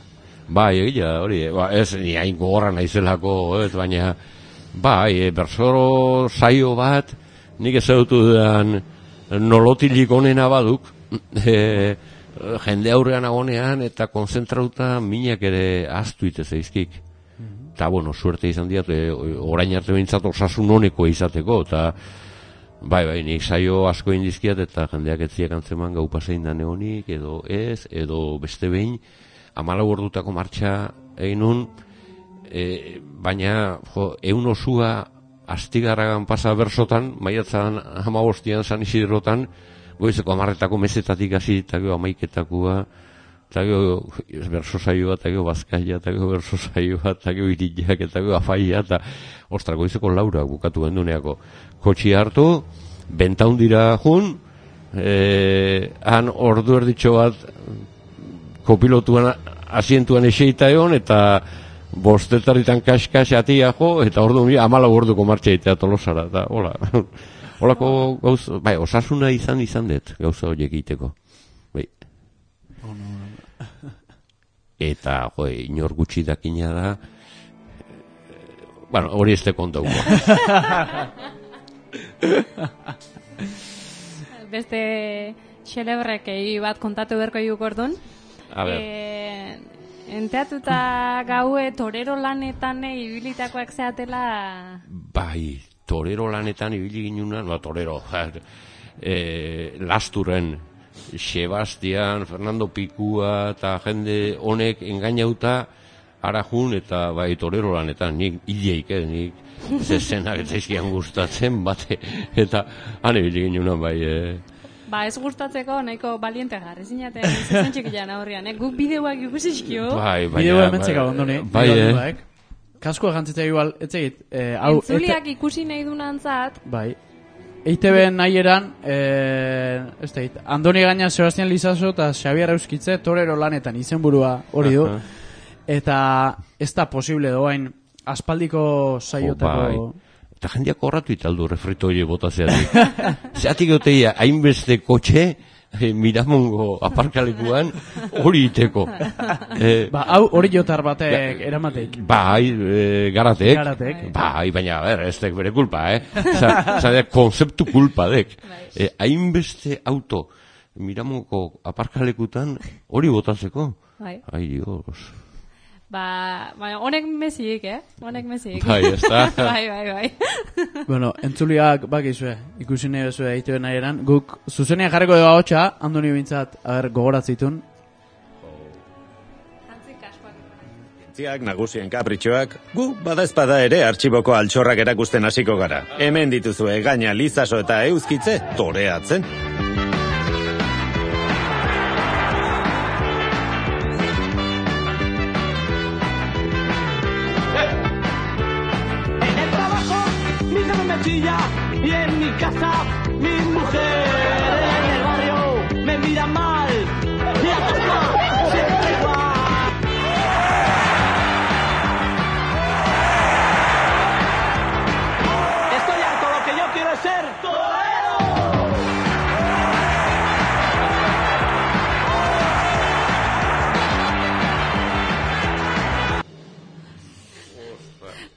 Bai, egia, hori, ba, ez, ni hain gogorra naizelako, ez, baina, bai, e, bersoro saio bat, nik ezautu dudan nolotilik onena baduk, e, jende aurrean agonean, eta konzentrauta minak ere aztu ite zaizkik. Eta, bueno, suerte izan diat, e, orain arte behintzat osasun honeko izateko, eta, bai, bai, nik saio asko indizkiat, eta jendeak etziak antzeman gau pasein da neonik, edo ez, edo beste behin, amalau ordutako martxa egin nun, e, baina, jo, eun osua astigarragan pasa bersotan, maiatzan hamabostian San Isidrotan, goizeko amarretako mesetatik hasi, eta gero amaiketakua, eta gero berso saioa, eta gero bazkaia, eta gero berso saioa, eta gero iriak, eta gero afaia, eta ostra, goizeko laura bukatu genduneako. Kotxi hartu, bentaundira jun, e, han ordu erditxo bat kopilotuan asientuan eseita egon, eta bostetarritan kaskas atia jo, eta ordu nire amala orduko martxa egitea Tolosara, eta hola, holako gauza, bai, osasuna izan izan dut, gauza horiek egiteko. Bai. Eta, jo, inor gutxi dakina da, bueno, hori ez te kontauko. Beste xelebrekei bat kontatu berko iuk ordun. A ber. Eh, enteatuta gaue torero lanetan ibilitakoak zeatela... Bai, torero lanetan ibili ginunan, ba, torero, e, Lasturen, Sebastian, Fernando Pikua, eta jende honek engainauta arajun, eta bai, torero lanetan, nik hileik, eh, nik zezenak zaizkian gustatzen, bate, eta han ibili ginunan, bai, eh, Ba, ez gustatzeko nahiko baliente jarri zinaten zezen txikian aurrian, eh? Guk bideoak ikusizkio. bai, baina, Bideoa ementzeka ondoni. bai, eh, Kaskoa jantzita igual, etzegit. Eh, hau, Entzuliak ikusi nahi dunantzat, bai. E I T B nahi eran, eh, ez da, Andoni Gaina, Sebastian Lizaso eta Xabier Euskitze torero lanetan izenburua hori du. Eta ez da posible doain aspaldiko saiotako... Eta jendeak horratu italdu refrito hori bota zeatik. Zeatik goteia, hainbeste kotxe, e, Miramongo aparkalekuan hori iteko. E, ba, hau hori jotar batek ba, eramateik. Bai, e, garatek. Garatek. Bai, baina, ber, ez dek bere kulpa, eh? Zade, konzeptu kulpa dek. E, hainbeste auto Miramongo aparkalekutan hori botatzeko. bai. Ai, Dios. Ba, ba, honek mezik, eh? Honek mezik. Bai, ez da. bai, bai, bai. Bueno, entzuliak bakizue, ikusi nahi bezue egite nahi eran. Guk zuzenean jarriko dugu hotxa, Andoni bintzat, aher, gogoratzitun. Ziak nagusien kapritxoak, gu badaezpada ere artxiboko altxorrak erakusten hasiko gara. Hemen dituzue Gaina, Lizaso eta Euskitze toreatzen. Y en mi casa, mi mujer en el barrio me mira mal. Y a casa siempre igual. Estoy harto, lo que yo quiero es ser torero.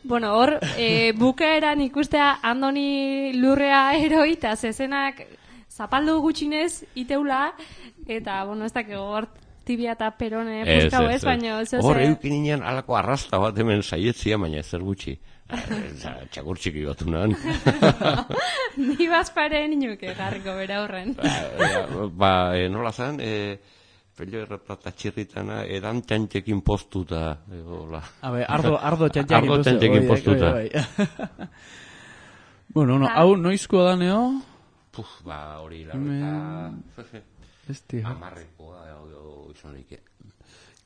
Bueno, hor, e, bukaeran ikustea Andoni lurrea eroi, eta zezenak zapaldu gutxinez iteula, eta, bueno, ez dakik hor tibia eta perone puskau ez, baina... Hor eukin inean alako arrasta bat hemen saietzia, baina ezer gutxi. Txakur txiki batu nahan. Ni bazparen inuke garriko bera horren. Ba, ba e, nola zan, e, pello erreplata txirritana edan txantxekin postuta. Habe, ardo, ardo txantxekin ardo txantxekin postuta. Bueno, no, hau noizkoa da neo? Puf, ba, hori, la verdad. Esti, amarrekoa izan leike.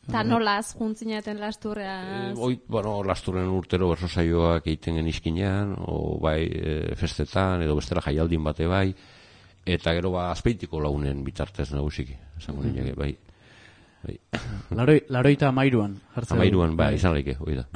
Eta nolaz, juntzinaten lasturreaz? E, oi, bueno, lasturren urtero berso saioak egiten genizkinean, o bai e, festetan, edo bestela jaialdin bate bai, eta gero ba Azpeitiko Lagunen bitartez nagusiki, esango mm -hmm. bai. bai. Laroi, laroita amairuan. Amairuan, bai, izan laike, hoi da.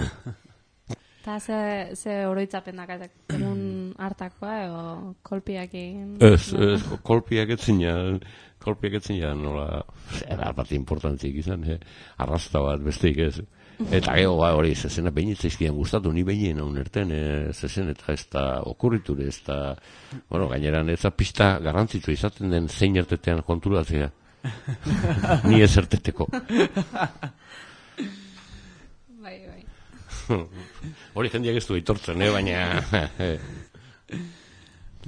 Eta ze, ze oroitzapen dakatek, egun hartakoa, edo kolpiak egin? Ez, ez, kolpiak etzinean, kolpiak etzinean, nola, era bat importantzik izan, eh? Arrasta bat, besteik ez. Eta gero, ba, hori, zezena behinitzaizkian gustatu, ni behinen hau nerten, eh, zezen, eta ez da okurriture, ez da, bueno, gaineran, ez da pista garrantzitsu izaten den zein ertetean konturatzea. Ni ez erteteko. Bai, bai. Hori jendeak ez du aitortzen, eh, baina...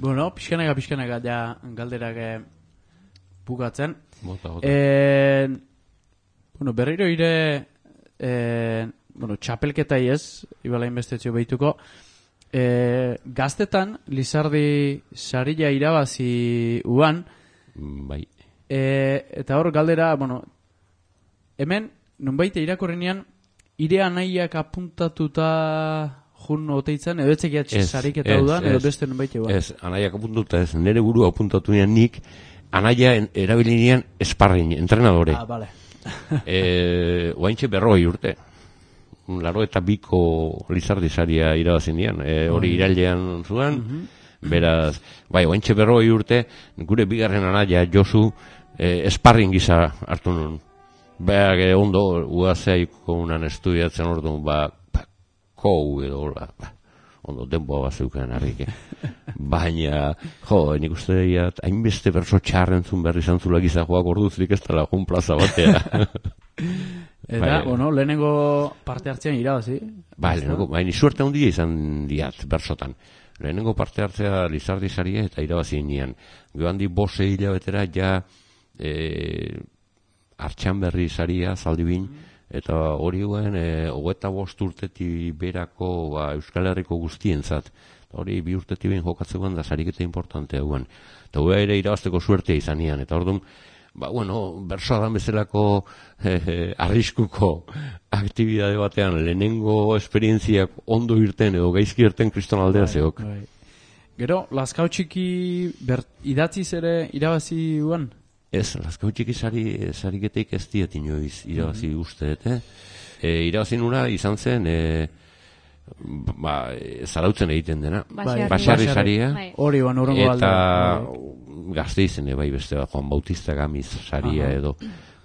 Bueno, pixkanaka, pixkanaka, ja, galderak eh, bukatzen. Bota, bota. Eh, bueno, berriro ire, eh, bueno, txapelketai ez, ibalain bestetxo behituko, eh, gaztetan, Lizardi sarila irabazi uan, bai. eh, eta hor galdera, bueno, hemen, nonbaite irakorrenean, ire anaiak apuntatuta jun oteitzen, edo etxekiat sarik eta dudan, edo beste nonbaite uan. Ez, anaiak apuntatuta ez, nire buru apuntatu nian nik, anaia erabilinean esparrin, entrenadore. Ah, bale. e, oaintxe berroi urte. Laro eta biko Lizardi saria irabazin dian. E, hori irailean zuen, mm -hmm. beraz, bai, oaintxe berroi urte, gure bigarren anaia Josu e, esparrin gisa hartu nun. Beak e, ondo, uazeaiko unan estudiatzen orduan, ba, ba kou edo, hola, ba, ondo denboa bat zeuken harrik. Baina, jo, nik uste daiat, hainbeste berso txarrentzun berri zantzula gizajoak orduzlik ez tala jun plaza batea. Eta, bai, bueno, lehenengo parte hartzean irabazi. Bai, lehenengo, baina suerte handia izan diat, bersotan. Lehenengo parte hartzea Lizardi saria eta irabazi nian. Gio handi bose hilabetera ja e, Artxan berri saria zaldibin, eta hori guen e, hogeta bost urteti berako ba, Euskal Herriko guztientzat. Hori bi urteti behin jokatzekoan da sariketa importantea guen. Eta hua ere irabazteko suertea izan nian. Eta orduan, ba, bueno, bersoa dan bezalako eh, eh, arriskuko aktibidade batean lehenengo esperientziak ondo irten edo gaizki irten kriston aldea zeok. Bai. Gero, Lazkao txiki ber, idatziz ere irabazi guan? Ez, Lazkao txiki sari, sariketeik ez diet inoiz irabazi mm-hmm. usteet, eh? E, irabazi nuna izan zen... E, ba, zarautzen egiten dena. Bai. Basarri saria. Hori ban urrengo alde. Eta gazte izene bai beste bat, Juan Bautista Gamiz saria edo.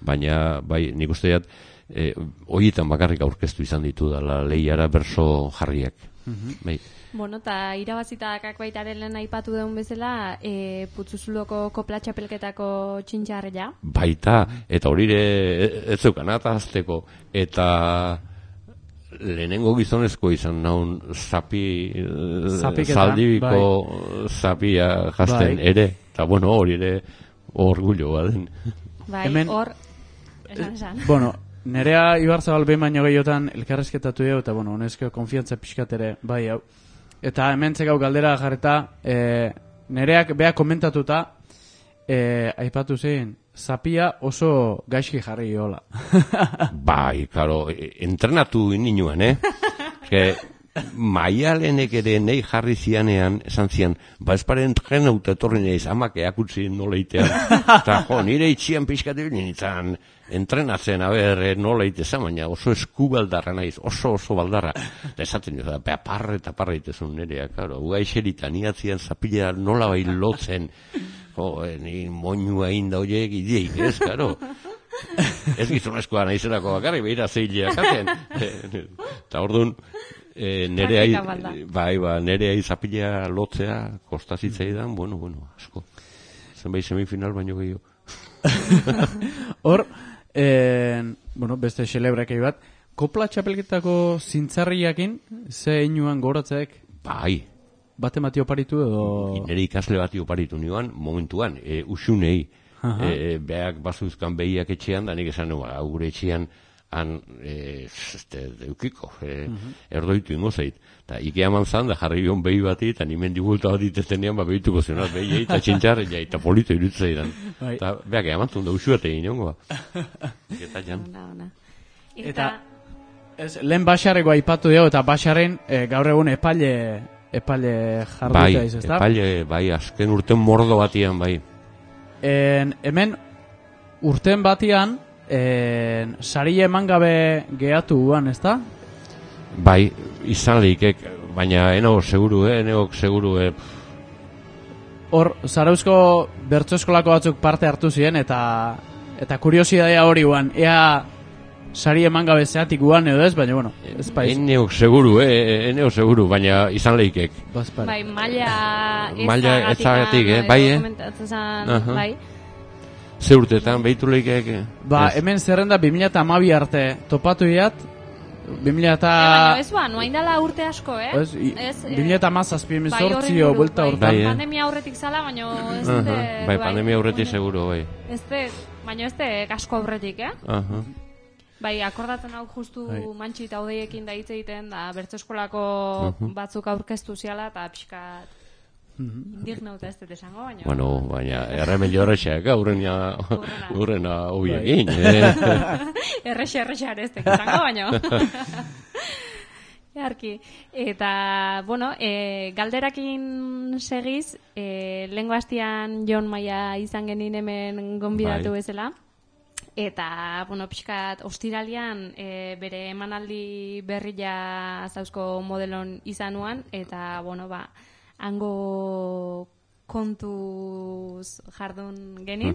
Baina, bai, nik uste dut, e, horietan bakarrik aurkeztu izan ditu dala lehiara berso jarriak. Uh-huh. Bai. Bueno, eta irabazitakak baitaren lehen aipatu deun bezala, e, Putzuzuloko kopla txapelketako txintxarria. Baita, eta horire ez zeukan atazteko, eta... lehenengo gizonezko izan naun zapi zaldibiko bai. Zapia jazten bai. Ere, eta bueno, hori ere orgullo baden. Bai, hemen, hor esan esan. Bueno, nerea Ibarzabal behin baino gehiotan elkarrezketatu dugu, eta bueno, honezko konfiantza pixkat ere bai hau. Eta hemen txekau galdera jarreta, e, nereak beha komentatuta, e, aipatu zein, Zapia oso gaizki jarri hola. Bai, claro, entrenatu ininuen, eh? Que maialenek ere nei jarri zianean, esan zian, ba espare entrenauta etorri neiz, amak eakutzi noleitean. Eta jo, nire itxian pixkatu nintzen entrenatzen, a ber, noleite zan, baina oso eskubaldarra naiz, oso oso baldarra. Eta esaten dut, da, parre eta parre itezun nerea, claro, uga iserita, niatzian zapila nola bai lotzen, jo, ni moinua inda horiek ideik, ez, karo. Ez gizonezkoa naizerako bakarri, behira zeileak aten. Eta orduan, e, nereai, bai, ba, nereai zapila lotzea, kostazitzaidan, bueno, bueno, asko. Zenbait semifinal baino gehiago. Hor, eh, bueno, beste xelebrakei bat, kopla txapelketako zintzarriakin, ze inuan goratzeek? Bai. Bate mati oparitu edo... Nere ikasle bati oparitu nioan, momentuan, e, usunei, e, beak bazuzkan behiak etxean, da nik esan nuen, gure etxean, han, e, este, deukiko, e, uh-huh. erdoitu ingo zait. Eta ikea manzan, da jarri bion behi bati, eta nimen digulta bat itezenean, ba behituko zionat behi, eta txintxarra, eta polito irutzaidan. Eta beak eamantun da usuate inongo. Eta jan. Ona, ona. Eta ez, lehen Baxarreko aipatu dugu, eta Baxarren e, gaur egun epaile, epaile jarduta bai, iz, ezta? epaile, bai, azken urten mordo batian, bai. En, hemen urten batian en, sari eman gabe gehatu guan, ezta? Bai, izan lehikek, baina eno seguru, eh, eneok seguru, eh. Hor, Zarauzko bertso eskolako batzuk parte hartu ziren, eta eta kuriosidadea hori guan, ea sari eman gabe zeatik guan edo ez, baina, bueno, ez paiz. Eneok seguru, eh, eneok seguru, baina izan lehikek. Bai, maila Maila ezagatik, eh, bai, eh? Uh-huh. Bai. Ze urtetan, behitu lehikek? Ba, ez. Hemen zerrenda bi mila hamabi arte topatu iat, bi mila eta... E, baina ez ba, noain dela urte asko, eh? Ez, ez bi mila hamazazpi bai, emezortzio buelta bai, hortan. Bai, eh? Pandemia aurretik zala, baina ez Uh-huh. dute... Bai, pandemia aurretik seguro, bai. Ez de, baina ez de asko aurretik, eh? Uh-huh. Bai, akordatzen hau justu Bai. Mantxi eta Odeiekin da hitz egiten, da bertso eskolako Uh-huh. batzuk aurkeztu ziala, eta pixkat indignauta ez dut esango, baina... Bueno, baina erremedio horrexak, urrena, Urrena. urrena hoi egin, eh? Errexe, errexe areztek izango, baina... Jarki. Eta, bueno, e, galderakin segiz, e, lehengo hastian Jon Maia izan genin hemen gonbidatu Bai. bezala. Eta, bueno, pixkat, ostiralian e, bere emanaldi berria zauzko modelon izanuan, eta, bueno, ba, hango kontuz jardun genin,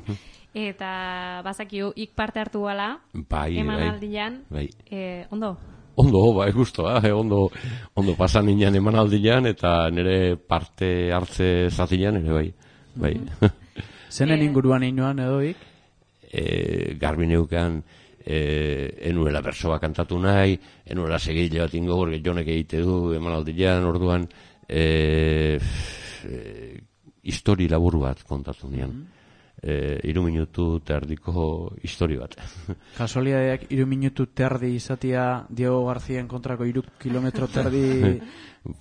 eta bazakio ik parte hartu gala, Bai, emanaldian, bai. e, ondo? Ondo, bai, gustoa, eh, ondo, ondo pasan nian emanaldian, eta nire parte hartze zatian, ere bai, bai. Zenen inguruan inoan edoik? E, garbi neukan, e, enuela bersoa kantatu nahi, enuela segile bat ingo, porque jonek egite du emanaldian, orduan, e, e, histori labur bat kontatu nian. E, iru minutu terdiko histori bat. Kasualidadeak iru minutu terdi izatia Diego Garzien kontrako iru kilometro terdi...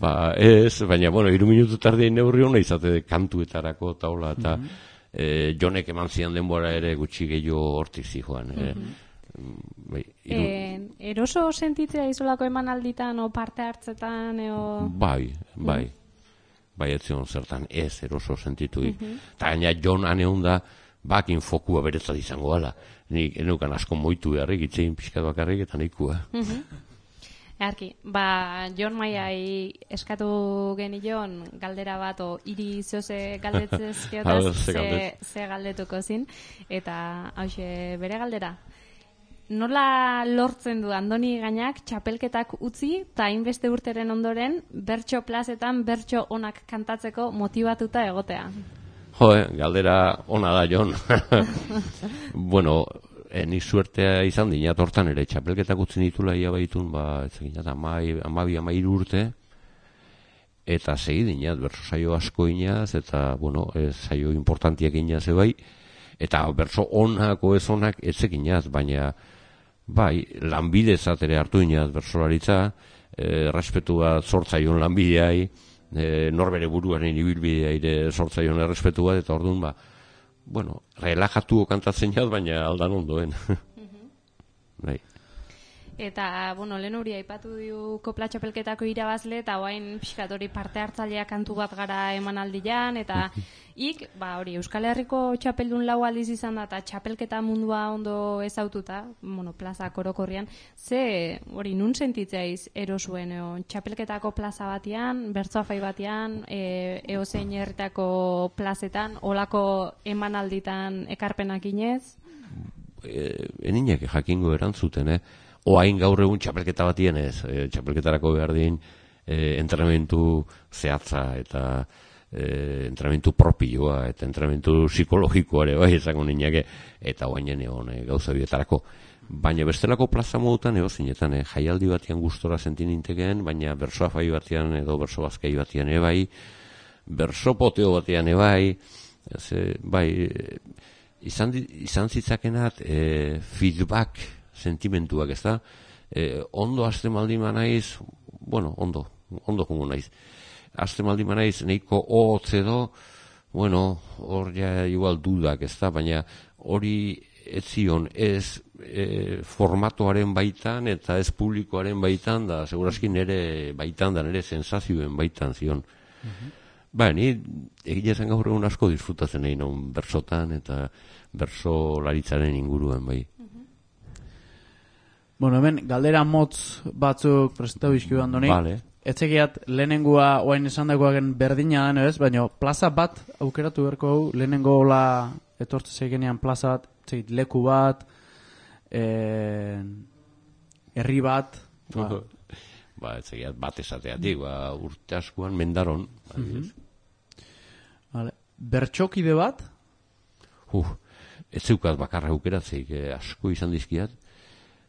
Ba, ez, baina, bueno, iru minutu terdi neurri hona izate kantuetarako taula, eta mm -hmm. e, jonek eman zian denbora ere gutxi gehiago hortik zijoan. Mm -hmm. bai, iru... e, eroso sentitzea izolako emanalditan o parte hartzetan eo... Bai, bai. Mm -hmm. Bai, ez zion zertan ez eroso sentituik. Eta mm -hmm. gaina Jon aneun da, bakin fokua beretzat izango gala. Nik enukan asko moitu beharrik, itzein pixkat bakarrik eta nikua. Mm -hmm. Earki, ba, Jon Maiai eskatu genion galdera bat, o hiri zoze galdetzez geotaz, ze, ze galdetuko zin, eta hauxe bere galdera. Nola lortzen du Andoni Gainak txapelketak utzi eta hainbeste urteren ondoren bertso plazetan bertso onak kantatzeko motibatuta egotea? Jo, eh, galdera ona da, Jon. Bueno, eh, nik suertea izan dinat hortan ere, txapelketak utzi ditula ia baitun, ba, ez eginat, amabi, amairu urte, eta segi dinat, berso saio asko inaz, eta, bueno, ez saio importantiak inaz ebai, eta berso onako ez onak ez eginaz, baina, bai, lanbide zatere hartu inaz bersolaritza, eh, respetu bat sortzaion lanbideai, eh, norbere buruaren ibilbidea ere sortzaion errespetu bat, eta orduan, ba, bueno, relajatu kantatzen jaz, baina aldan ondoen. Bai. Eta, bueno, lehen hori aipatu diu kopla txapelketako irabazle, eta oain pixkat hori parte hartzailea kantu bat gara emanaldian, eta ik, ba hori, Euskal Herriko txapeldun lau aldiz izan da, eta txapelketa mundua ondo ezaututa, bueno, plaza korokorrian, ze, hori, nun sentitzeiz erosuen, eo, txapelketako plaza batian, bertsoafai batian, e, eozein herritako plazetan, olako emanalditan ekarpenak inez? E, eninek jakingo erantzuten, eh? Oain gaur egun txapelketa batien ez, e, txapelketarako behar din e, entrenamentu zehatza eta e, entrenamentu propioa eta entrenamentu psikologikoa ere bai ezango niñake, eta oainen egon e, gauza bietarako. Baina bestelako plaza modutan ego zinetan, e, jaialdi batian gustora sentin intekeen, baina bersoafai batian edo berso bazkai batian ebai, berso poteo batian ebai, ez, e, bai, e, izan, izan zitzakenat e, feedback sentimentuak, ez da? E, ondo azte maldi manaiz, bueno, ondo, ondo jungo naiz. Azte maldi manaiz, neiko hotz edo, bueno, hor ja igual dudak, ez da? Baina hori ez zion ez e, formatoaren baitan eta ez publikoaren baitan, da segurazki nire baitan da nire sensazioen baitan zion. Uh-huh. Ba, ni egia zen gaur egun asko disfrutatzen nahi non bersotan eta bersolaritzaren inguruen bai. Uh-huh. Bueno, hemen galdera motz batzuk presentatu bizkiu Andoni. Vale. Etzekiat lehenengoa oain esan dagoagen berdina den ez, baina plaza bat aukeratu berko hau, lehenengo hola etortze zeikenean plaza bat, zeit, leku bat, eh, herri bat, ba. Ba, etzekiat bat esateatik, ba, urte askoan mendaron. Uh-huh. Vale. Bertxokide bat? Uh, ez zeukaz bakarra aukeratzeik, eh, asko izan dizkiat.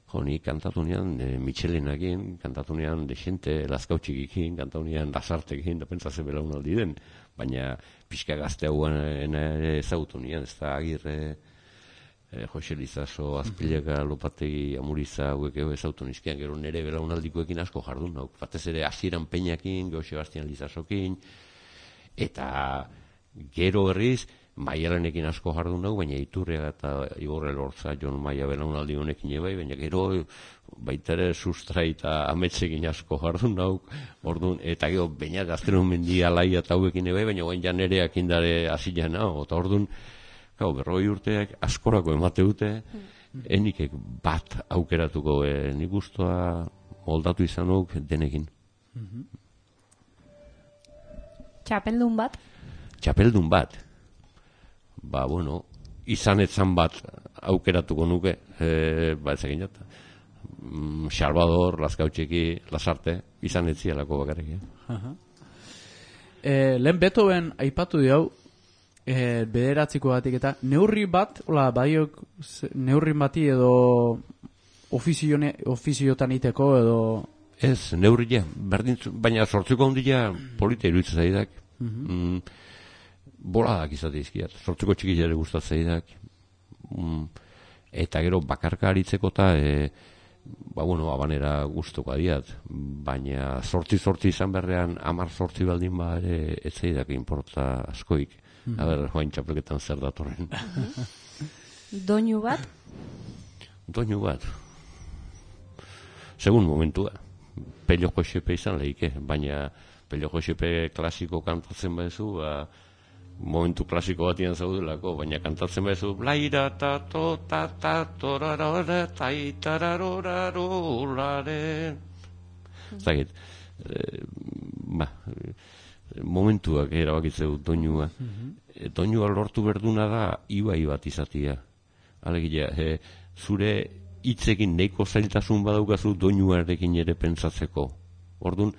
Jo, ni kantatu nian e, Michelenakin, kantatu nian Dexente Lazkautxikikin, kantatu nian Lasartekin, da pentsa ze belaunaldi den, baina pixka gazte hauan ere ezagutu nian, ez da Agirre, e, Jose Lizaso, Azpileka, Lopategi, Amuriza, hauek ego ezagutu nizkian, gero nere belaunaldikoekin asko jardun, hau, batez ere Hasieran Peñakin, gero Sebastian Lizasokin, eta gero berriz, Maialenekin asko jardun dugu, baina Iturria eta Igorre Lortza, Jon Maia belaunaldi honekin ebai, baina gero baita ere Sustrai eta Ametsekin asko jardun dugu, orduan, eta gero baina Gaztenon Mendi Alaia eta hauekin ebai, baina guen janereak indare hasilean nago, eta orduan, gau, berroi urteak askorako emate dute, mm. enikek bat aukeratuko, e, nik guztua moldatu izan duk denekin. Mm-hmm. Txapeldun bat? Txapeldun bat. Ba, bueno, izan etzan bat aukeratuko nuke, e, ba, ez egin jata. Mm, Salvador, Lazkautxeki, Lasarte, izan etzialako bakarrik. Eh? Uh-huh. E, lehen Beethoven aipatu diau, e, bederatziko batik eta neurri bat, ola, badiok neurri bati edo ofizione, ofiziotan iteko edo... Ez, neurria, berdin, baina sortzuko handia polita iruditzen zaidak. Uh-huh. mm, Boladak izate izkiat, sortzeko txikilare gustatzeidak, mm, eta gero bakarka aritzeko eta, e, ba, bueno, abanera guztoko adiat, baina sortzi-sortzi izan berrean, amar sortzi baldin ba, ere, etzeidak inporta askoik. Mm. A ber, joain txapelketan zer datorren. Doinu bat? Doinu bat. Segun momentua. Pello Josepe izan lehike, baina Pello Josepe klasiko kantatzen badezu, ba, momentu klasiko batian zaudelako, baina kantatzen bezu blaira ta to ta ta torarora ta itararorarolaren zagit e, ba momentuak erabakitzeu doinua e, doinua lortu berduna da ibai bat izatia alegia e, zure hitzekin neiko zailtasun badaukazu doinuarekin ere pentsatzeko ordun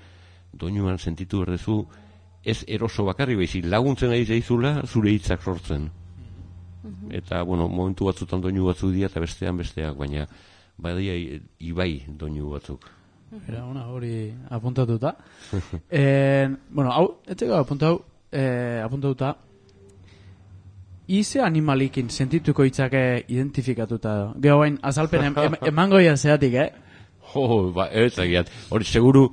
doinuan sentitu berdezu ez eroso bakarri baizik laguntzen ari zaizula zure hitzak sortzen. Mm-hmm. Eta, bueno, momentu batzutan doinu batzuk dira eta bestean besteak, baina badia ibai doinu batzuk. Era una hori apuntatuta. eh, bueno, hau, etzeko apuntatu, eh, apuntatuta, ize animalikin sentituko hitzake identifikatuta. Gero bain, azalpen em, em, emango ia zeatik, eh? Jo, ba, ez egiat. Hori, seguru,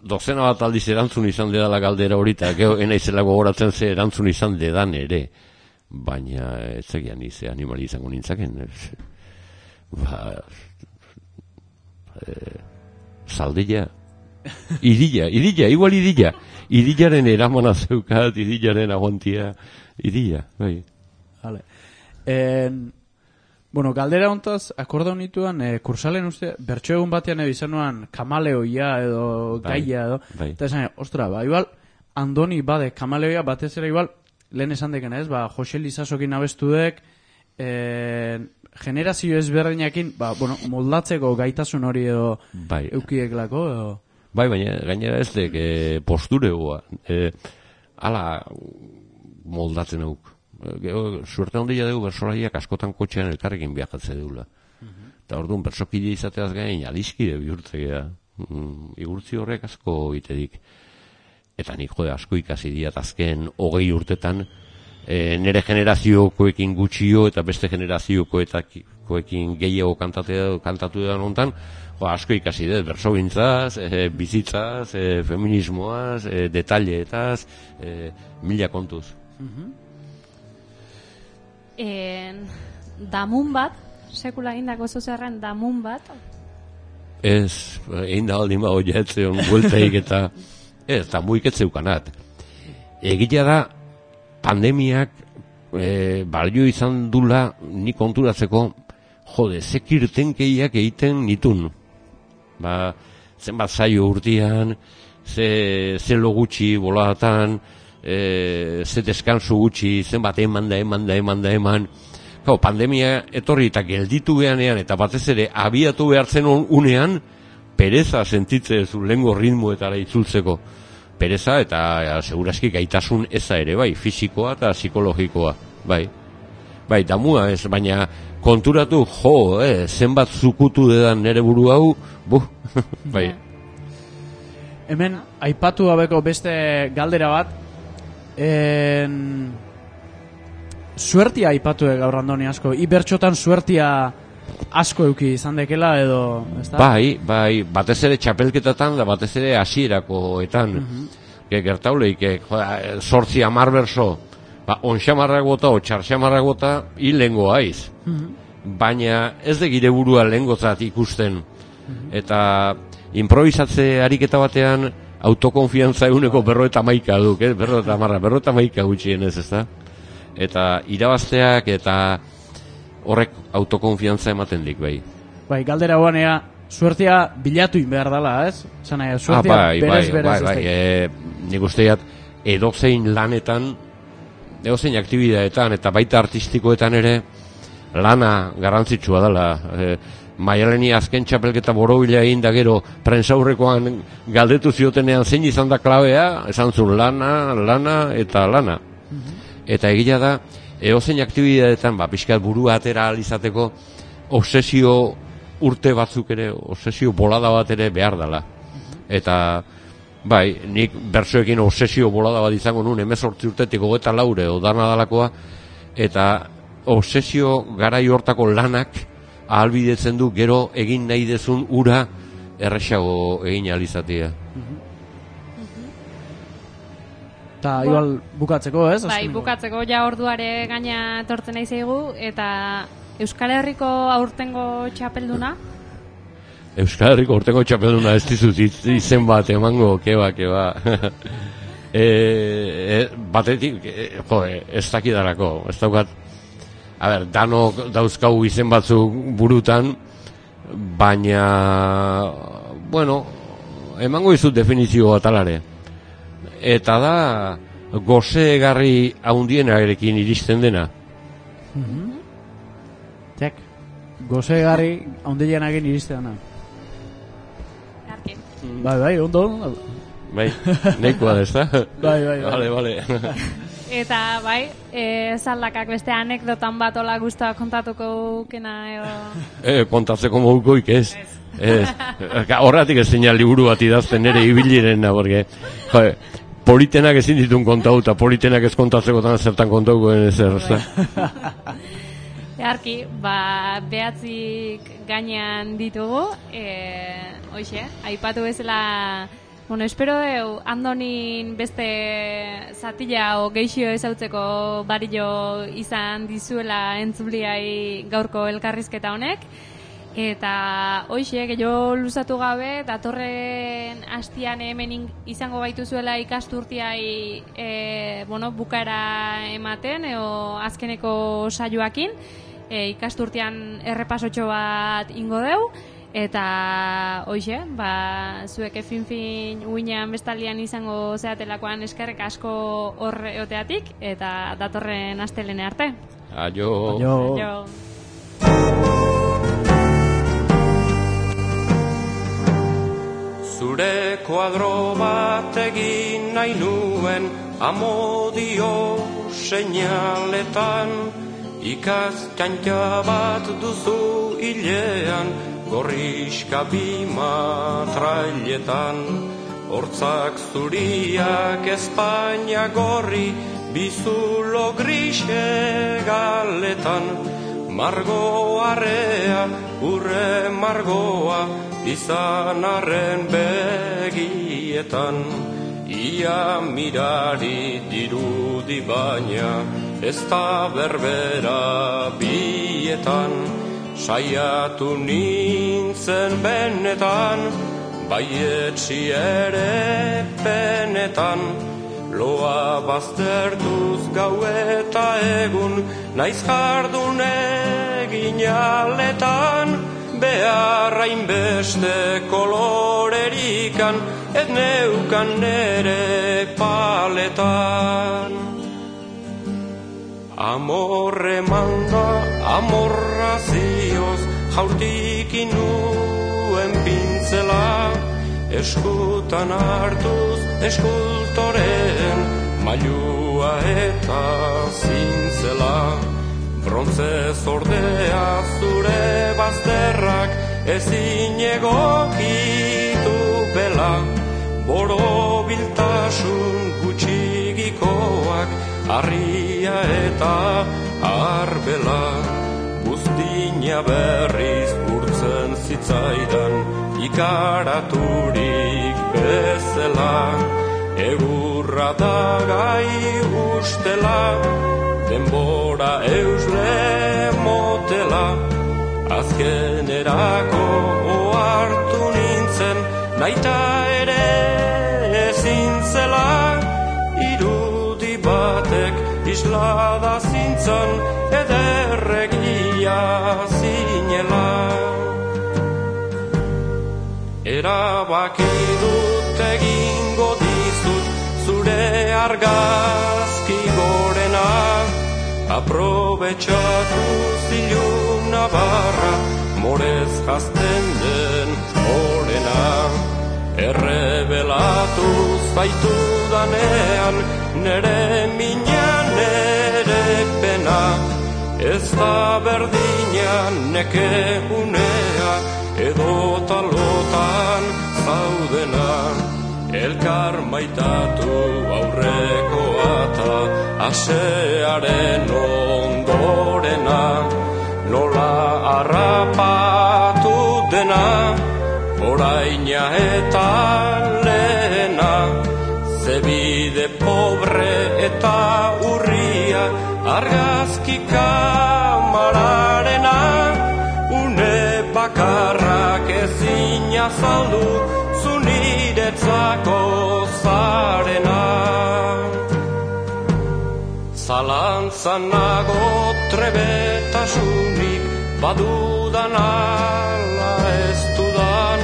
dozena bat aldiz erantzun izan dedala galdera horita, gero enaizela gogoratzen ze erantzun izan dedan ere, baina ez egian ize animali izango nintzaken. Ba, e, zaldilla, idilla, idilla, igual idilla, idillaren eramana zeukat, idillaren aguantia, idilla, bai. Vale. En... Bueno, galdera hontaz, akorda honituan, e, kursalen uste, bertso egun batean edo izan nuan kamaleoia edo bai, gaia edo, bai. Eta esan, ostra, ba, igual, Andoni bade kamaleoia batez ere igual, lehen esan deken ez, ba, Jose Lizasokin abestu dek, e, generazio ezberdinakin, ba, bueno, moldatzeko gaitasun hori edo bai. Eukieklako edo... Bai, baina gainera ez dek e, posturegoa, e, ala moldatzen auk. Suerte handia dugu bersolaiak askotan kotxean elkarrekin viajatze dugula. Uh-huh. Eta orduan bersokide izateaz gain adiskide bihurtzea. Mm, igurtzi horrek asko itedik. Eta nik jode asko ikasi diat azken hogei urtetan e, nire generaziokoekin gutxio eta beste generaziokoekin gehiago kantatu edan ontan, jo, asko ikasi dut, bersogintzaz, e, bizitzaz, e, feminismoaz, e, detaileetaz, e, mila kontuz. En, damun bat, sekula egindako zozerren damun bat. Ez, egin da baldin bago jetzeon bueltaik eta ez, damuik ez zeukanat. Egitea da, pandemiak e, balio izan dula ni konturatzeko, jode, zekirtenkeiak egiten nitun. Ba, zenbat zaio urtean, ze, ze lo gutxi boladatan, e, ze deskansu gutxi, zenbat eman da, eman da, eman da, eman. Gau, pandemia etorri eta gelditu behanean, eta batez ere abiatu behartzen unean, pereza sentitze zu lengo ritmoetara itzultzeko. Pereza eta ja, seguraski gaitasun eza ere, bai, fisikoa eta psikologikoa, bai. Bai, damua ez, baina konturatu, jo, eh, zenbat zukutu dedan nere buru hau, buh, bai. Hemen, aipatu gabeko beste galdera bat, en... suertia aipatu gaur Andoni asko, ibertxotan suertia asko euki izan dekela edo, ezta? Bai, bai, batez ere txapelketatan da batez ere hasierakoetan. Uh -huh. Gertauleik, sortzi amar berso, ba, onxamarrak bota o txarxamarrak bota hil lengo haiz. Uh -huh. Baina ez de gire burua lengozat ikusten. Uh -huh. Eta improvisatze ariketa batean autokonfiantza eguneko berro eta maika duk, eh? berro eta marra, berro eta maika gutxien ez, ezta? Eta irabazteak eta horrek autokonfiantza ematen dik, bai. Bai, galdera guanea, suertia bilatu behar dela, ez? Zana, suertia ah, bai, berez, bai, berez, bai, bai, e, nik usteat edozein lanetan, edozein aktibidadetan eta baita artistikoetan ere lana garrantzitsua dela. E, Maialeni azken txapelketa borobila egin da gero prentsaurrekoan galdetu ziotenean zein izan da klabea, esan zuen lana, lana eta lana. Eta egia da, edozein aktibidadetan, ba, pixkat burua atera alizateko, obsesio urte batzuk ere, obsesio bolada bat ere behar dela. Eta, bai, nik bersoekin obsesio bolada bat izango nun, emezortzi urtetik hogeta laure, odana dalakoa, eta obsesio garai hortako lanak ahalbidetzen du gero egin nahi dezun ura erresago egin alizatea. Eta igual bukatzeko, ez? Bai, bukatzeko ja orduare gaina etortzen nahi zaigu, eta Euskal Herriko aurtengo txapelduna? Euskal Herriko aurtengo txapelduna ez dizut izen bat emango, keba, keba. e, e, batetik, e, jo, ez dakidarako, ez daukat, a ber, danok dauzkau izen batzuk burutan, baina, bueno, emango izut definizio bat alare. Eta da gozegarri haundienarekin iristen dena. Mm-hmm. Txek, gozegarri haundienarekin iristen dena. Bai, bai, ondo. Bai, neikoa da, ez da? Bai, bai, bai. Vale, vale. Eta, bai, e, zaldakak beste anekdotan bat ola guztua kontatuko kena, edo... E, kontatzeko mogukoik ez. Ez. Horretik ez zeina liburu bat idazten nire ibilirena, porque, joe, politenak ezin ditun kontau, eta politenak ez kontatzeko tan zertan kontauko ezer, ez da? Earki, ba, behatzik gainean ditugu, e, hoxe, aipatu bezala... Bueno, espero deu, Andonin beste zatila o geixio ezautzeko barillo izan dizuela entzuliai gaurko elkarrizketa honek. Eta hoxe, gehiago luzatu gabe, datorren hastian hemen izango gaituzuela ikasturtiai e, bueno, bukaera ematen, eo azkeneko saioakin, e, ikasturtian errepasotxo bat ingo deu. Eta, hoxe, ba, zuek fin-fin uinean bestaldian izango zeatelakoan eskerrek asko horre oteatik, eta datorren astelene arte. Aio. Aio. Aio. Zure kuadro bat egin nahi nuen amodio seinaletan, ikaztxantxa bat duzu hilean, gorriska bima trailetan, hortzak zuriak Espainia gorri, bizulo grise galetan, margo arrea, urre margoa, izan arren begietan, ia mirari dirudi baina, ez da berbera bietan, saiatu nintzen benetan, baietsi ere penetan, loa baztertuz gau eta egun, naiz jardun egin aletan, beharrain beste kolorerikan, et neukan nere paletan. Amorre manda, amorra zioz, jaurtik inuen pintzela, eskutan hartuz eskultoren, mailua eta zintzela. Brontze zordea zure bazterrak, ezin egokitu bela, borobiltasun gutxigikoak, harria eta arbela. Buztina berriz urtzen zitzaidan, ikaraturik bezala, egurra da gai ustela, denbora eusle motela, azkenerako ohartu nintzen, naita ere ezin zela, irudi batek islada zintzan, ederregia zinela. Erabaki dut egingo dizut, zure argazki gorena, aprobetxatu ziluna barra, morez jazten den orena. Errebelatu zaitu danean, nere mina, nere pena, ez da berdina neke unea, edo talotan zaudena. Elkar maitatu aurreko ata, asearen ondorena, nola harrapatu dena, oraina eta lehena, zebide pobre eta urria, argazki kamararena, une bakarrak ezin azaldu, zuniretzako zarena. Zalantzan nago trebetasunik, badudan ala ez dudan,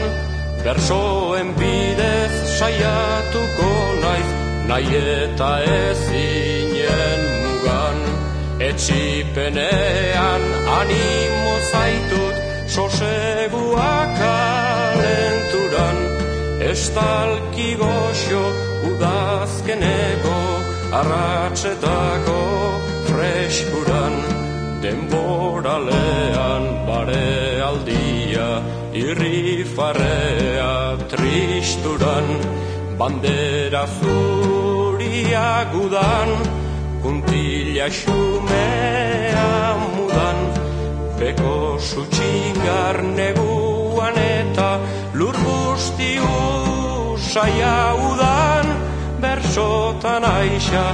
bersoen bidez saiatuko naiz, nahi eta ezinen mugan. Etxipenean animo zaitut, soseguak alenturan, estalki goxo udazkeneko, arratsetako freskuran, denboralean bare aldia, irrifarrea tristuran, bandera zuria gudan, puntilla xumea mudan, beko sutxingar neguan eta lur guzti usaia udan, bersotan aixa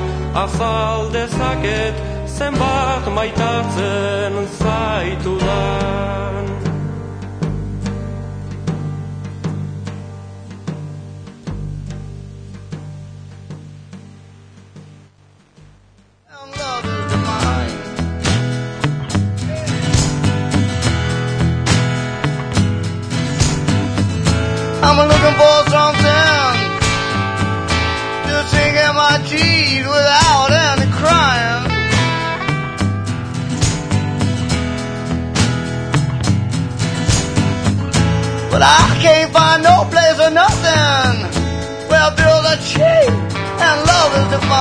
azal dezaket, zenbat maitatzen zaitudan. I'm looking for something to sing in my G's without any crying. But I can't find no place or nothing where bills are cheap and love is defined.